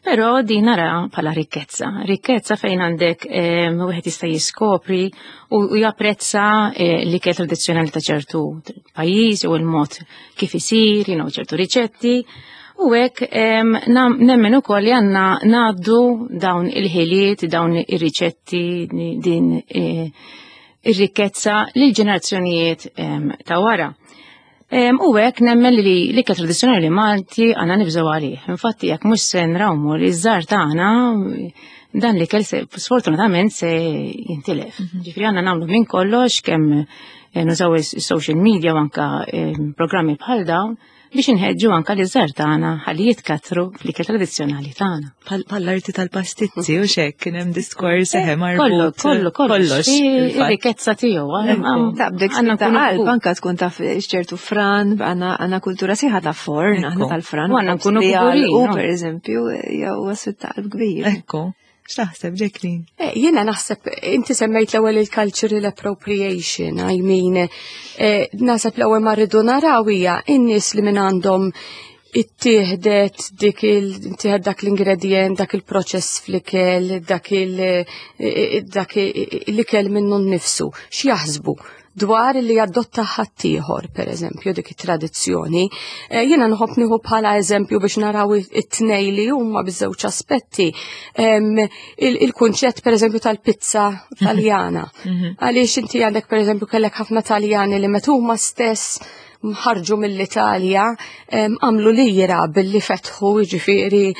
Però din nara bħala rikkezza, rikkezza fejn għandek wieħed jista' jiskopri u japprezza l-ikel tradizzjonali ta' ċertu pajjiż u l-mod kif isir, ċertu riċetti. U hekk nemmen ukoll li għandna ngħaddu dawn il-ħiliet, dawn ir-riċetti, din ir-rikkezza lil ġenerazzjonijiet ta' wara. U hekk nemmen li l-ikel tradizzjonali Malti għandna nibżgħu għalih. Infatti jekk mhux se nrawmu li ż-żgħar tagħna dan l-ikel sfortunatament se jintilef. Ġifieri għandna nagħmlu minn kollox kemm nużaw is-social media u anka programmi bħal dawn biex inħeġġu anka li ż-żgħar tagħna ħalli jitkatru fl-ikel tradizzjonali tagħna. Bħall-arti tal-pastizzi u xek kien hemm diskors eħe marbut. Kollu, kollu, kollox. Kollox, fil-fatt. Ir-rikkezza tiegħu, Ta' bdek għandna ta' nkunu qalb, kbur. anka tkun taf x'ċertu fran, għandna kultura sieħa ta' forn, aħna tal-fran, U għandna nkunu li kburin, għalqu, no? per eżempju, jew għassu ta' qalb kbir. Ekku. X'taħseb, Jacqueline? Jiena naħseb, inti semmejt l-ewwel il-cultural appropriation, I mean, naħseb l-ewwel ma rridu naraw hija in-nies li minn għandhom Ittieħdet dik il dak l-ingredient, dak il-proċess fl-ikel, dak il dak l-ikel minnu nnifsu. X'jaħsbu dwar li jadotta ħaddieħor, per eżempju, dik it-tradizzjoni. Eh, jiena nħobb nieħu bħala eżempju biex naraw it-tnej li huma biż-żewġ aspetti. Il-kunċett per eżempju tal-pizza taljana. Mhm. Għaliex inti għandek per eżempju kellek ħafna Taljani li meta huma stess ħarġu mill-Italja għamlu lira billi fetħu ġifieri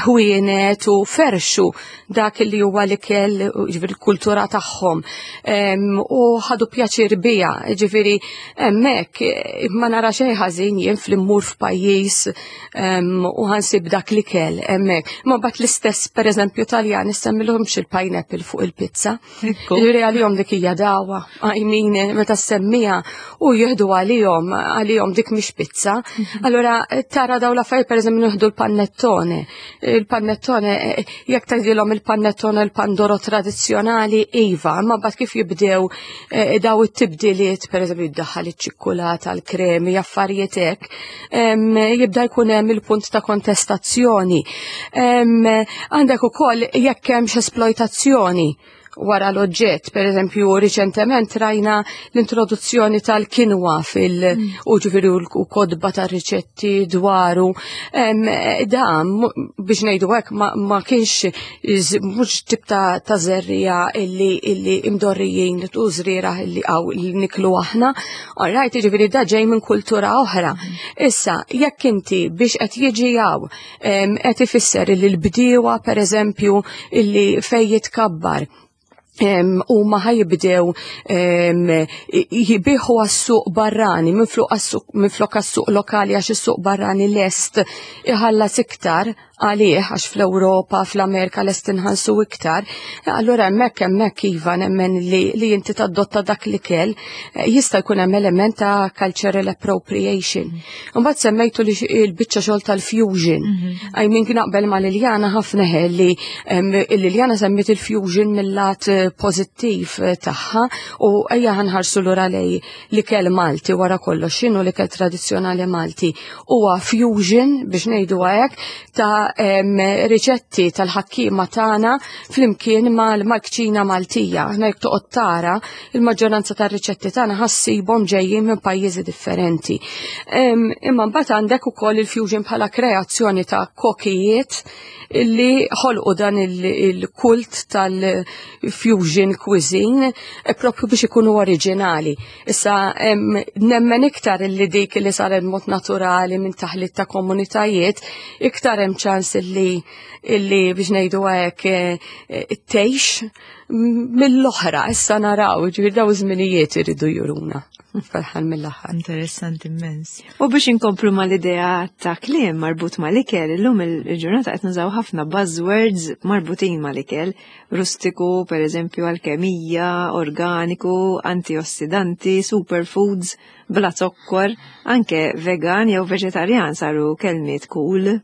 ħwienet u ferxu dak li huwa l-ikel ġifieri l-kultura tagħhom u ħadu pjaċir bija ġifieri hemmhekk ma nara xejn ħażin jien fl-immur f'pajjiż u ħansib dak l-ikel hemmhekk. Ma bat l-istess pereżempju Taljan issemmilhomx il-pineapple fuq il-pizza. Ġifieri għalihom dik hija dawa, I mean, meta semmija u jieħdu għalihom, għalihom dik mhix pizza. Mhm. Allura tara daw l-affarijiet pereżempju nieħdu l-panettone. Il-panettone eh, jekk tgħidilhom il-panettone il-pandoro tradizzjonali iva, imma mbagħad kif jibdew eh, daw it-tibdiliet pereżempju jiddaħħal iċ-ċikkulata, l-kremi, affarijiet hekk, jibda jkun hemm il-punt ta' kontestazzjoni. Għandek ukoll jekk hemmx esploitazzjoni wara l-oġġett. Per eżempju, riċentement rajna l-introduzzjoni tal-kinwa fil- mm. u ġifieri u kodba ta' riċetti dwaru. Da, biex ngħidu hekk ma, ma kienx mhux tip ta', ta żerrija illi, illi imdorrijin u żrieragħ illi għaw li niklu aħna. All right, ġifieri da ġej minn kultura oħra. Mm. Issa, jekk inti biex qed jiġi hawn qed ifisser li l-bdiewa pereżempju illi fej jitkabbar u ma ħajibdew jibiħu għas-suq barrani minflok għas-suq lokali għax is-suq barrani lest iħallas iktar għalih għax fl-Ewropa, fl-Amerika lest inħallsu iktar. Allura hemmhekk hemmhekk iva nemmen li, li inti tadotta dak li kell eh, jista' jkun hemm element ta' cultural appropriation. Mbagħad semmejtu li l-biċċa xogħol tal-fusion. Mhm. I mean naqbel ma' Liljana ħafna li Liljana semmiet il-fusion mill-lat eh, pożittiv eh, tagħha u ejja ħanħarsu lura lej l-ikel Malti wara kollox x'inhu l-ikel tradizzjonali Malti huwa fusion biex ngħidu hekk ta' riċetti tal-ħakkiema tagħna flimkien mal-kċina Maltija. Aħna jekk toqgħod tara il-maġġoranza tar-riċetti tagħna ħassibhom ġejjin minn pajjiżi differenti. Imma mbagħad għandek ukoll il-fusion bħala kreazzjoni ta' kokijiet illi ħolqu dan il-kult tal-fusion cuisine eh, propju biex ikunu oriġinali. Issa nemmen iktar illi dik li saret mod naturali minn taħlit ta' komunitajiet, iktar hemm ċans illi illi biex ngħidu hekk eh, eh, tgħix mill-oħra issa naraw, ġifieri daw iż-żminijiet iridu juruna. Ferħan mill-aħħar. Interessanti immens. U biex inkomplu mal-idea ta' kliem marbut mal-ikel, illum il-ġurnata qed nużaw ħafna buzzwords marbutin mal-ikel, rustiku, per eżempju, alkemija, organiku, antiossidanti, superfoods, bla zokkor, anke vegan jew veġetarjan saru kelmiet cool.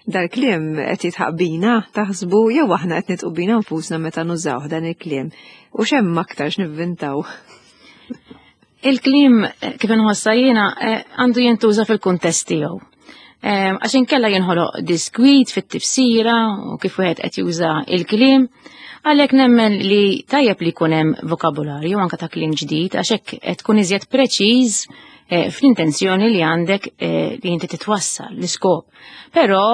Dal-kliem qed jitħaq bina, taħsbu jew aħna qed nitqu bina nfusna meta nużaw dan il-kliem. U x'hemm aktar x'nivvintaw? Il-kliem kif inħossa jiena eh, għandu jintuża fil-kuntest tiegħu. Eh, għax inkella jinħoloq diskwit fit-tifsira u kif wieħed qed juża il-kliem. Għalhekk nemmen li tajjeb li jkun hemm vokabularju anke ta' kliem ġdid għax hekk qed tkun iżjed preċiż eh, fl-intenzjoni li għandek li inti titwassal l-iskop. Però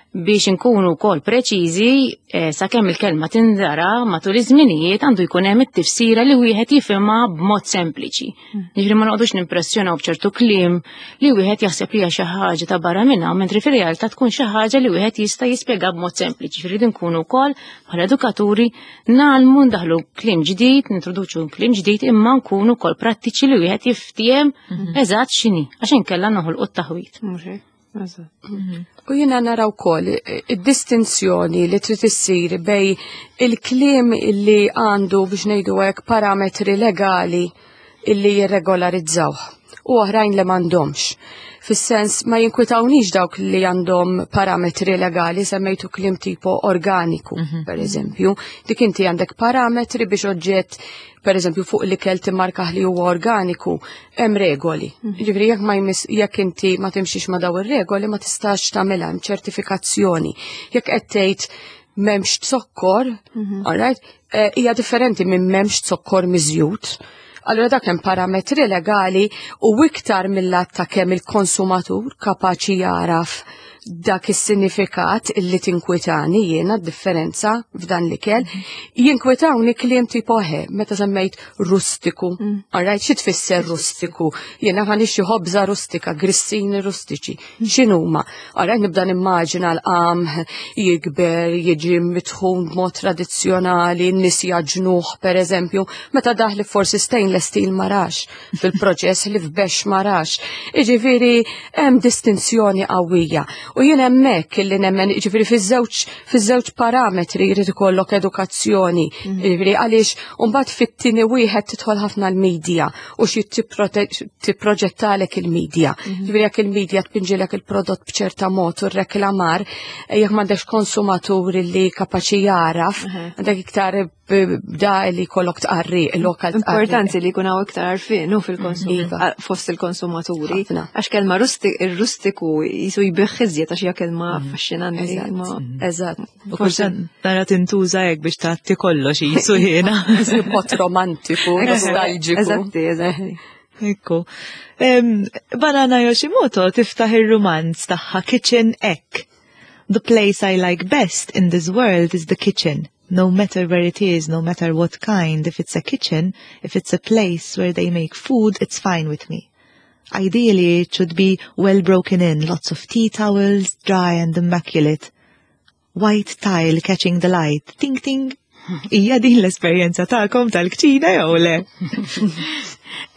biex inkunu wkoll preċiżi eh, sakemm il-kelma tindara matul iż-żminijiet għandu jkun hemm it-tifsira li wieħed jifhimha b'mod sempliċi. Hmm. Jiġri ma noqgħodux nimpressjonaw b'ċertu kliem li wieħed jaħseb li hija xi ħaġa ta' barra minnha, mentri fir-realtà tkun xi ħaġa li wieħed jista' jispjega b'mod sempliċi. Rridu nkunu wkoll bħala edukaturi nagħlmu ndaħlu kliem ġdid, nintroduċu kliem ġdid imma nkunu wkoll prattiċi li wieħed jiftiem mhm. eżatt x'inhi għax inkella noħolqu t-taħwit. Mhm. U jiena nara wkoll id-distinzjoni li trid issir bej il-kliem li għandu biex ngħidu hekk parametri legali illi jirregolarizzawh u oħrajn li m'għandhomx. Fis-sens ma jinkwitawnix dawk li għandhom parametri legali, semmejtu kliem tipo organiku, per eżempju. Dik inti għandek parametri biex oġġett, per eżempju, fuq l-ikel timmarkah li huwa organiku, hemm regoli. Ġifieri jekk ma jmiss jekk inti ma timxix ma daw ir-regoli ma tistax tagħmilha hemm ċertifikazzjoni. Jekk qed tgħid m'hemmx zokkor, all right, hija differenti minn m'hemmx zokkor miżjud. Allura dak hemm parametri legali u iktar mill-att ta' kemm il-konsumatur kapaċi jaraf dak is-sinifikat illi tinkwitani jiena d-differenza f'dan l-ikel. Jinkwitawni kliem tipo he, meta semmejt rustiku. Alright, xi tfisser rustiku? Jiena ħa nixtri ħobża rustika, grissini rustiċi. X'inhuma? Alright, nibda nimmaġina l-qamħ jikber, jiġi mitħun b'mod tradizzjonali, n-nies jaġnuh per eżempju, meta daħli forsi stainless steel ma rax fil-proċess li f'bex ma rax. Iġifieri hemm distinzjoni qawwija. U jien hemmhekk illi nemmen, iġifieri fiż-żewġ parametri jrid ikollok edukazzjoni. Iġifieri għaliex mbagħad fit-tieni wieħed tidħol ħafna l-medja u xi tipproġettalek il-medja. Ġifieri jekk il-medja tpinġilek il-prodott b'ċerta mod u reklamar, jekk m'għandekx konsumatur li kapaċi jaraf, għandek iktar bda li kollok tqarri, lokal tqarri. Importanti li jkun hawn iktar għarfien hu fil-konsum Iva. fost il-konsumaturi. Ħafna. Għax kelma ir-rustiku jisu jbigħ iżjed għax hija kelma affaxxinanti. Eżatt. Eżatt. U kultant nara tintuża hekk biex tgħatti kollox jisu jiena. Mod romantiku, nostalġiku. Eżatti, eżatti. Ekku. Banana Yoshimoto tiftaħ ir-rumanz tagħha Kitchen Ek. The place I like best in this world is the kitchen. No matter where it is, no matter what kind, if it's a kitchen, if it's a place where they make food, it's fine with me. Ideally, it should be well broken in, lots of tea towels, dry and immaculate. White tile catching the light. Ting ting. Hija din l-esperjenza tagħkom tal-kċina jew le?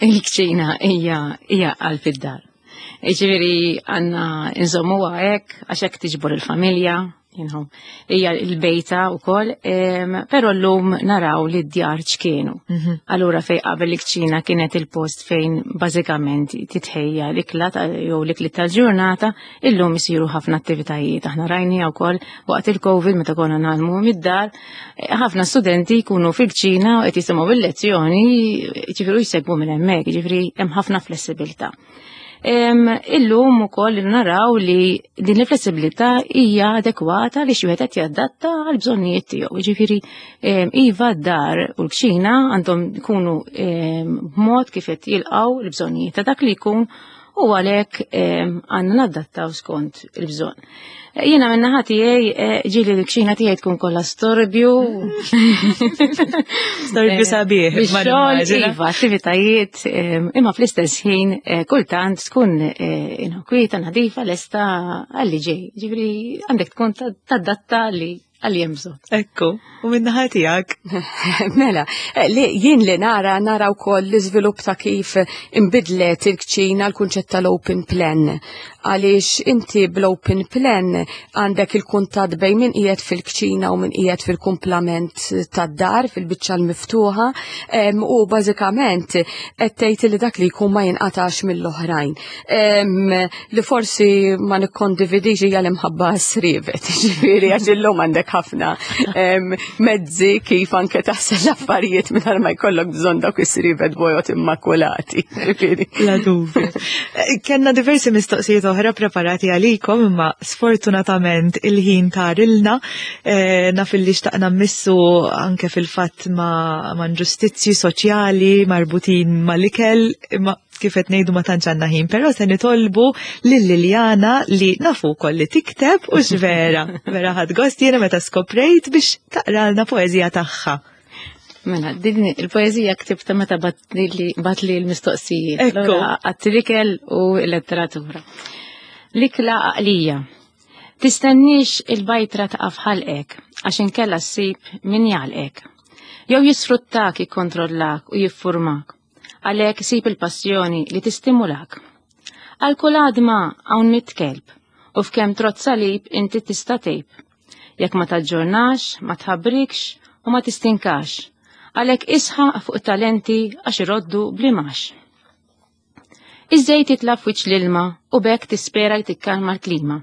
Il-kċina hija qalb id-dar. Ġifieri għandna nżommuha hekk għax hekk tiġbor il-familja, hija l-bejta wkoll, però llum naraw li d-djar ċkienu. Allura fej qabel il-kċina kienet il-post fejn bażikament titħejja l-ikla jew l-ikli tal-ġurnata, illum isiru ħafna attivitajiet. Aħna rajni wkoll waqt il-Covid meta konna nagħmlu mid-dar, ħafna studenti jkunu fil-kċina u qed jisimgħu il-lezzjoni, ġifieri jsegwu minn hemmhekk, ġifieri hemm ħafna flessibilità. Illum ukoll naraw li din il-flessibilità hija adekwata li xi wieħed qed jadatta għal bżonnijiet tiegħu. Jiġifieri iva d-dar u l-kċina għandhom ikunu b'mod kif qed jilqgħu l-bżonnijiet ta' dak li jkun u għalhekk għandna nadattaw skont il-bżonn. Jiena minn naħa tiegħi ġieli l-kċina tiegħi tkun kollha storbju. Storbju sabiħ, ma Bix-xogħol, nimmaġina. iva, attivitajiet, imma fl-istess ħin kultant tkun kwieta, nadifa, lesta għalli ġej. Ġifieri għandek tkun tadatta li għalli hemm bżonn. Ekku, u minn naħa tiegħek? Mela, li jien li nara wkoll l-iżvilupp ta' kif imbidlet il-kċina l-kunċett tal-open plan. Għaliex inti bl-open plan għandek il-kuntatt bejn min qiegħed fil-kċina u min qiegħed fil-kumplament tad-dar, fil-biċċa l-miftuħa, u bażikament qed tgħid li dak li jkun ma jinqatax mill-oħrajn. Li forsi ma nikkondividix hija l-imħabba srivet, ġifieri għax illum għandek ħafna mezzi kif anke taħsel l-affarijiet mingħajr ma jkollok bżonn dawk is-srivet bojod immakulati. Ġifieri. La dubju. Kenna diversi mistoqsijiet oħra preparati għalikom, imma sfortunatament il-ħin tarilna. Naf li xtaqna mmissu anke fil-fatt ma' inġustizzji soċjali marbutin mal-ikel, imma kif qed ngħidu ma tantx għandna ħin, però se nitolbu lil Liliana li nafu wkoll li tikteb u x'vera. Vera ħadt gost jiena meta skoprejt biex taqralna poeżija tagħha. Mela, din il-poeżija ktibta meta batli l-mistoqsijiet. Ekku. Allura, għat-trikel u l-letteratura. L-ikla għaqlija. Tistenniex il-bajtra taqaf ħalqek, għax inkella ssib min jgħalqek. Jew jisfruttak, jikkontrollak u jiffurmak. Għalhekk sib il-passjoni li tistimulak. Għal kull għadma hawn mitt kelb, u f'kemm trott salib inti tista' tgħib. Jekk ma taġġornax, ma tħabbrikx u ma tistinkax. Għalhekk isħaq fuq talenti għax iroddu blimax. Iż-żejt jitla' f'wiċċ l-ilma u b'hekk tispera li tikkalma l-klima.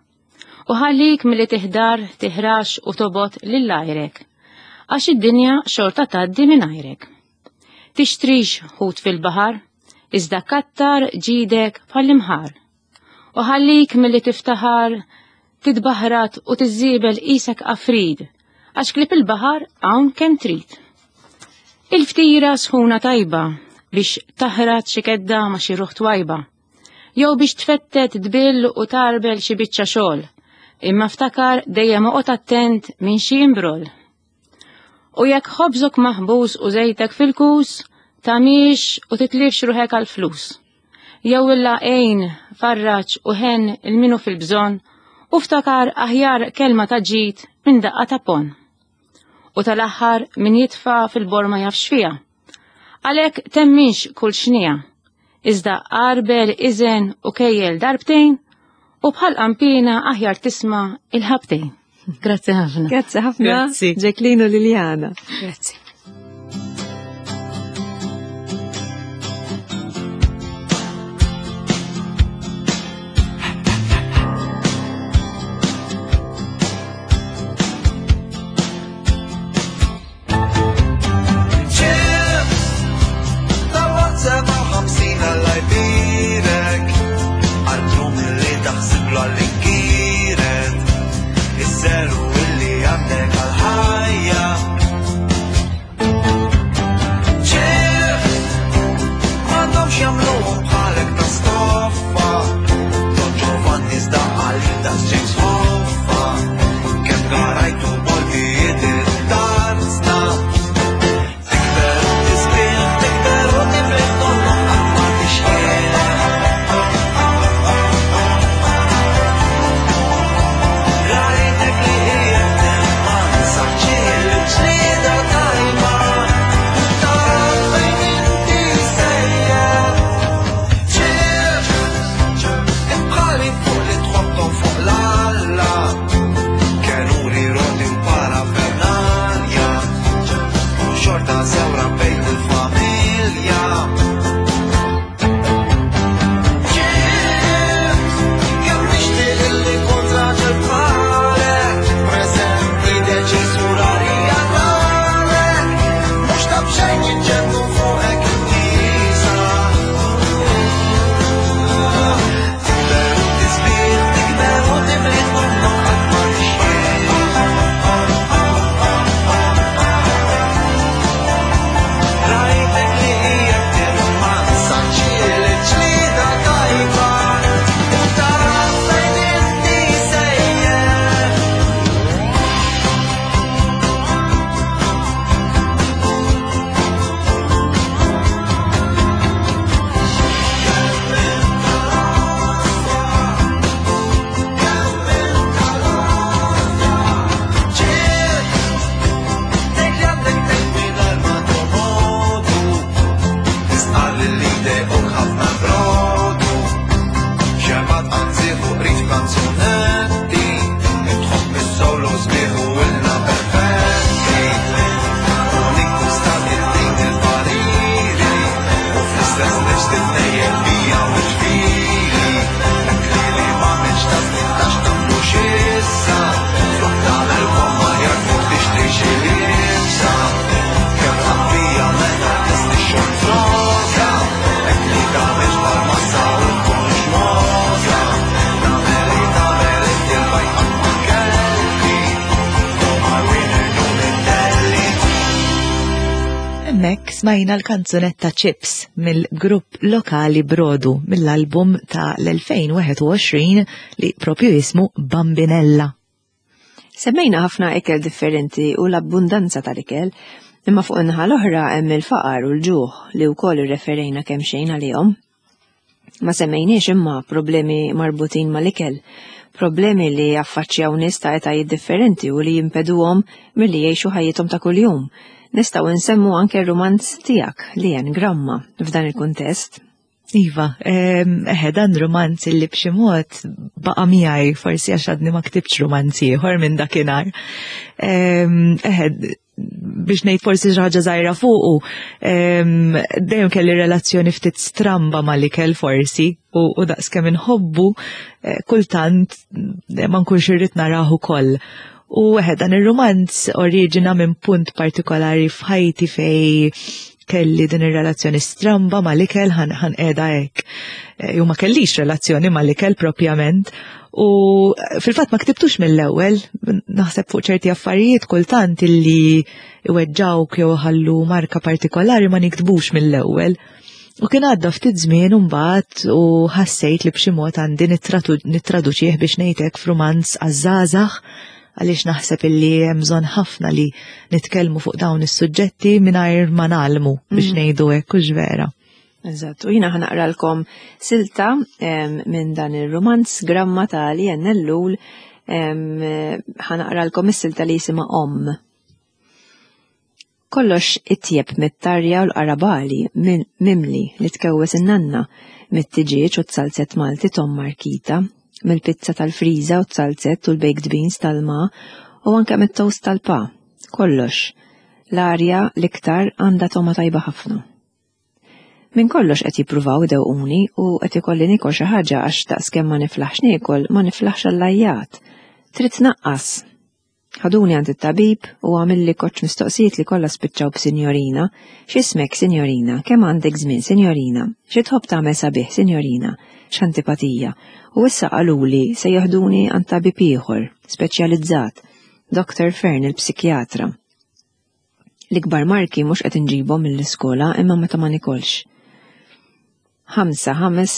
U ħallik milli tiħdar, tiħrax u tobgħod lil għajrek. Għax id-dinja xorta tgħaddi mingħajrek. Tixtrix ħut fil-baħar, iżda kattar ġidek bħall-imħar. U ħallik milli tiftaħar, titbaħrat u tiżżiebel qisek afrid, għax klieb il-baħar hawn kemm trid. Il-ftira sħuna tajba biex taħrat xi kedda ma' xi ruħ twajba. Jew biex tfettet tbill u tarbel xi biċċa xogħol. Imma ftakar dejjem oqgħod attent minn xi imbrol. U jekk ħobżok maħbus u żejtek fil-kus, tagħmix u titlifx ruħek għall-flus. Jew illa għin, farraġ u ħenn il-minu fil-bżonn u ftakar aħjar kelma ta' ġid minn daqqa ta' pon. U tal-aħħar min jitfa' fil-borma jafx fiha. Għalhekk temminx kull xnija, iżda għarbel, iżen u kejjel darbtejn u bħal qampina aħjar tisma' il-ħabtejn. Grazzi ħafna. Grazzi ħafna. Grazzi. Jacqueline u Liliana. Grazzi. Hemmhekk smajna l-kanzunetta Chips mill-grupp lokali Brodu mill-album ta' l-2021 li propju jismu Bambinella. Semmejna ħafna ikel differenti u l-abbundanza tal-ikel, imma fuq in-naħa l-oħra hemm il-faqar u l-ġuħ li wkoll irreferejna kemm xejn għalihom. Ma semmejniex imma problemi marbutin mal-ikel, problemi li jaffaċċjaw nies ta' etajiet differenti u li jimpeduhom milli jgħixu ħajjithom ta' kuljum. Nistgħu nsemmu anke r-rumanz tiegħek li Gramma f'dan il-kuntest. Iva, eħe dan rumanz li b'xi mod baqa' miegħi forsi għax għadni ma ktibx rumanz ieħor minn dakinhar. Eħe, Biex ngħid forsi xi ħaġa żgħira fuqu, dejjem kelli relazzjoni ftit stramba mal-ikel forsi u daqskemm inħobbu eh, kultant eh, ma nkunx irrid narah ukoll. U eħe dan ir-rumanz oriġina minn punt partikolari f'ħajti fej kelli din ir-relazzjoni stramba mal-ikel ħan qiegħda hekk. Eh, jew ma kellix relazzjoni mal-ikel propjament. U eh, fil-fatt ma ktibtux mill-ewwel, naħseb fuq ċerti affarijiet kultant illi iweġġawk jew ħallu marka partikolari ma niktbux mill-ewwel. U kien għadda ftit żmien imbagħad u ħassejt li b'xi mod għandi nittraduċih biex ngħidlek f'rumanz għaż-żgħażagħ għaliex naħseb illi hemm bżonn ħafna li nitkellmu fuq dawn is-suġġetti mingħajr ma nagħlmu biex ngħidu hekk hux vera. Eżatt, u jiena ħanaqralkom silta minn dan ir-rumanz Gramma ta' Lien Ellul ħanaqralkom is-silta li jisimha Omm. Kollox itjeb mit-tarja u l-qarabagħli mimli li tkewwes in-nanna, mit-tiġieġ u t-zalzett Malti t'omm Markita, mill-pizza tal-friża u t-zalzett u l-baked beans tal-ma u anke mit-toast tal-pa. Kollox. L-arja, l-iktar, għandha togħma tajba ħafna. Minn kollox qed jippruvaw idewquni u qed ikolli niekol xi ħaġa għax daqskemm ma niflaħx niekol, ma niflaħx għall-għajjat. Trid tnaqqas! Ħaduni għand it-tabib u għamilli koċċ mistoqsijiet li kollha spiċċaw b'sinjorina. X'ismek, sinjorina? Kemm għandek żmien, sinjorina? Xi tħobb tagħmel sabiħ, sinjorina? X'antipatija. U issa qaluli se jeħduni għand tabib ieħor, speċjalizzat, Doctor Fern il-psikjatra. L-ikbar marki mhux qed inġibhom mill-iskola imma meta ma nikolx. Ħamsa, ħames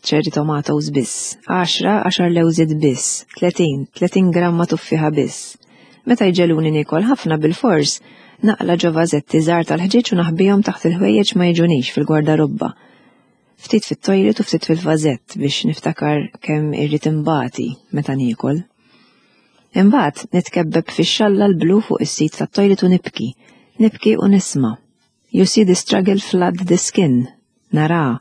cherry tomatoes biss. Għaxra, għaxar lewżiet biss. 30, 30 gramma tuffiħa biss. Meta jġeluni nikol ħafna bil-fors, naqla ġo vażetti żgħar tal-ħġieġ u naħbihom taħt il-ħwejjeġ ma jiġunix fil-gwardarobba. Ftit fit-toilet u ftit fil-vażett biex niftakar kemm irrid inbati meta niekol. Imbagħad nitkebbeb fix-xalla l-blu fuq is-sit tat-toilet u nibki. Nibki u nisma'. You see the struggle flood the skin. Nara.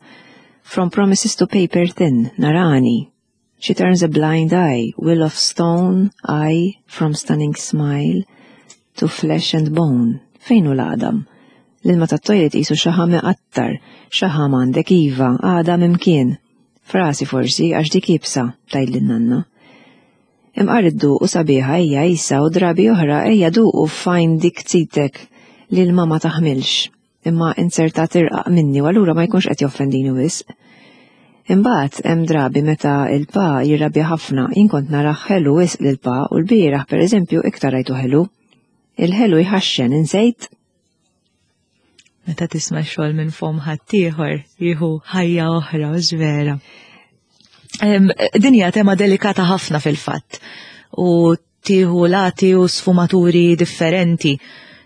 From promises to paper thin. Narani. She turns a blind eye, will of stone, eye, from stunning smile, to flesh and bone. Fejn hu l-għadam? L-ilma tat-toilet qisu xaħam iqattar. Xaħam għandek iva, għadam imkien. Frasi forsi, għax dik iebsa, tgħidli n-nanna. Imqar idduqu sabiħa ejja isa u drabi oħra ejja duqu f'għajn dik zitek li l-ma ma taħmilx. Imma inzertat irqaq minni u allura ma jkunx qed joffendini wisq. Imbagħad hemm drabi meta il-pa jirrabja ħafna, jien kont narah ħelu wisq lil pa u l-bieraħ pereżempju iktar rajtu ħelu. Il-ħelu jħaxxen, insejt? Meta tisma' xogħol minn fom ħaddieħor jieħu ħajja oħra u vera. Din hija tema delikata ħafna fil-fatt u tieħu lati u sfumaturi differenti.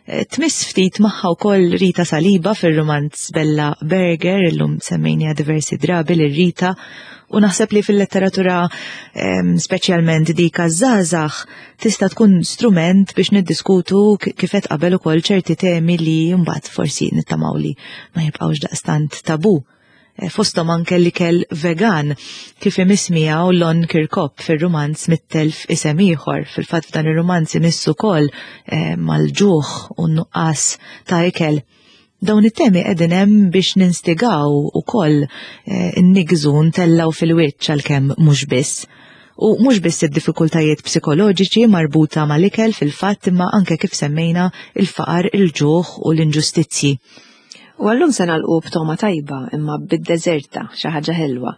Eh, tmiss ftit magħha wkoll Rita Saliba fir-rumanz Bella Berger, illum semmejniha diversi drabi lil Rita, u naħseb li fil-letteratura speċjalment dik għaż-żgħażagħ tista' tkun strument biex niddiskutu kif qed qabel ukoll ċerti temi li mbagħad forsi nittamaw li ma jibqgħux daqstant tabu. Eh, fosthom anke l-ikel vegan kif imiss miegħu Lon Kirkop fir-rumanz Mittelf isem ieħor. Fil-fatt f'dan ir-rumanz imissu ukoll eh, mal-ġuħ u n-nuqqas ta' ikel. Dawn it-temi qegħdin hemm biex ninstigaw ukoll eh, innigżu ntellgħu fil-wiċċ għalkemm mhux biss. U mhux biss id-diffikultajiet psikoloġiċi marbuta mal-ikel fil-fatt imma anke kif semmejna il-faqar, il-ġuħ u l-inġustizzji. U għallum se nagħlqu b'togħma tajba imma bid-deżerta, xi ħaġa ħelwa.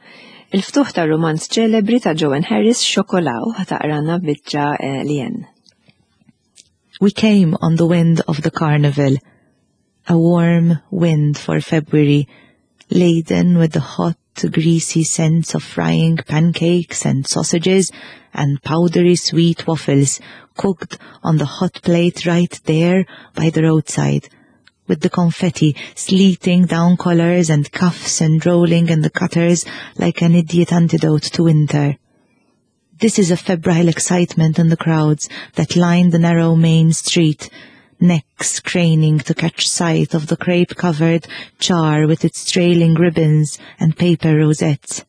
Il-ftuħ tar-rumanz ċelebri ta' Joan Harris Xokola u ħataqrana biċċa eh, Lien. We came on the wind of the carnival, a warm wind for February, laden with the hot, greasy scents of frying pancakes and sausages and powdery sweet waffles cooked on the hot plate right there by the roadside, with the confetti sleeting down collars and cuffs and rolling in the gutters like an idiot antidote to winter. This is a febrile excitement in the crowds that line the narrow main street, necks craning to catch sight of the crepe-covered char with its trailing ribbons and paper rosettes.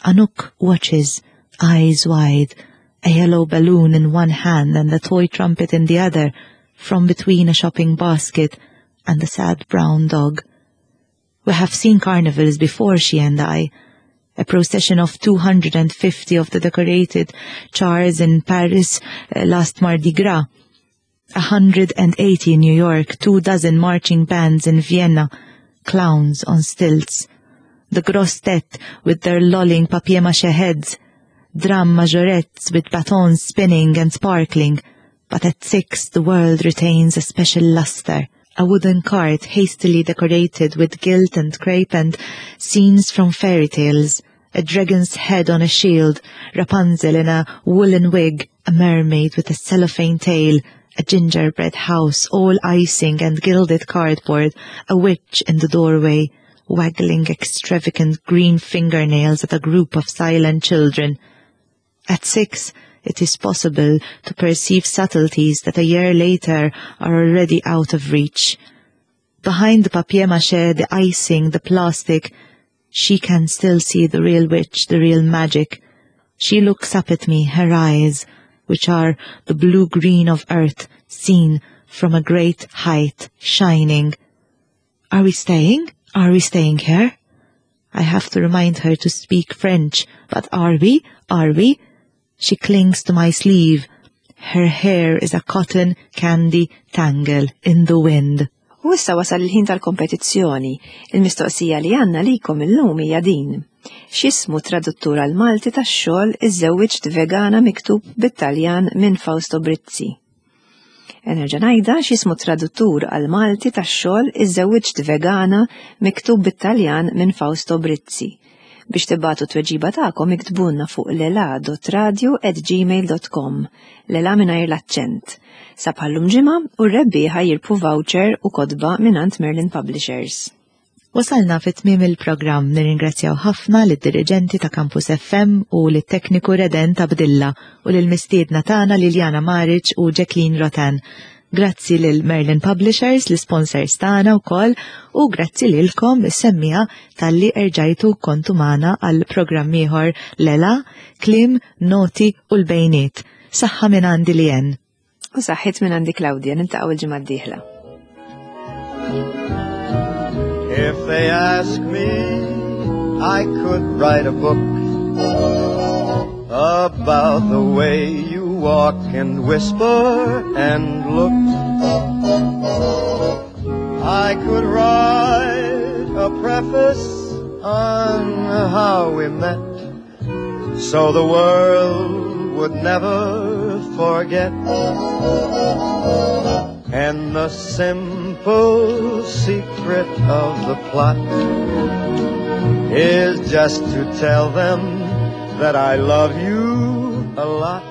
Anouk watches, eyes wide, a yellow balloon in one hand and a toy trumpet in the other. from between a shopping basket and a sad brown dog. We have seen carnivals before, she and I. A procession of 250 of the decorated chars in Paris last Mardi Gras. 180 in New York, 24 marching bands in Vienna, clowns on stilts. The grosses têtes with their lolling papier-mâché heads, drum majorettes with batons spinning and sparkling. But at 6 the world retains a special luster. A wooden cart hastily decorated with gilt and crepe and scenes from fairy tales, a dragon's head on a shield, Rapunzel in a woolen wig, a mermaid with a cellophane tail, a gingerbread house all icing and gilded cardboard, a witch in the doorway, waggling extravagant green fingernails at a group of silent children. At 6, it is possible to perceive subtleties that a year later are already out of reach. Behind the papier-mâché, the icing, the plastic, she can still see the real witch, the real magic. She looks up at me, her eyes, which are the blue-green of earth, seen from a great height, shining. Are we staying? Are we staying here? I have to remind her to speak French, but are we? Are we? She clings to my sleeve. Her hair is a cotton candy tangle in the wind. U issa wasal il-ħin tal-kompetizzjoni. Il-mistoqsija li għandna likom illum hija din. X'ismu traduttur għal-Malti tax-xogħol Iżżewwiġt Vegana miktub bit-Taljan minn Fausto Brizzi? Nerġa' ngħidha, x'ismu traduttur għal-Malti tax-xogħol Iżżewwiġt Vegana miktub bit-Taljan minn Fausto Brizzi? Biex tibagħtu t-tweġiba tagħkom iktbulna fuq lela.radio@gmail.com, lela mingħajr l-aċċent. Sa bħallum ġimgħa u r-rebbieħa jirbħu voucher u kotba mingħand Merlin Publishers. Wasalna fi tmiem il-programm. Nirringrazzjaw ħafna lid-diriġenti ta' Campus FM u lit-tekniku Redent Abdilla u lill-mistiedna tagħna Liliana Maric u Jacqueline Rotan. Grazzi lil Merlin Publishers, l-sponsors tagħna wkoll, u grazzi lilkom is-semmiegħa talli erġajtu kontu magħna għal programm ieħor Lela, Kliem, Noti u l-Bejniet. Saħħa minn għandi Lien. U saħħit minn għandi Claudia, niltaqgħu il-ġimgħa d-dieħla. If they ask me, I could write a book about the way you walk and whisper and look. I could write a preface on how we met, so the world would never forget. And the simple secret of the plot is just to tell them that I love you a lot.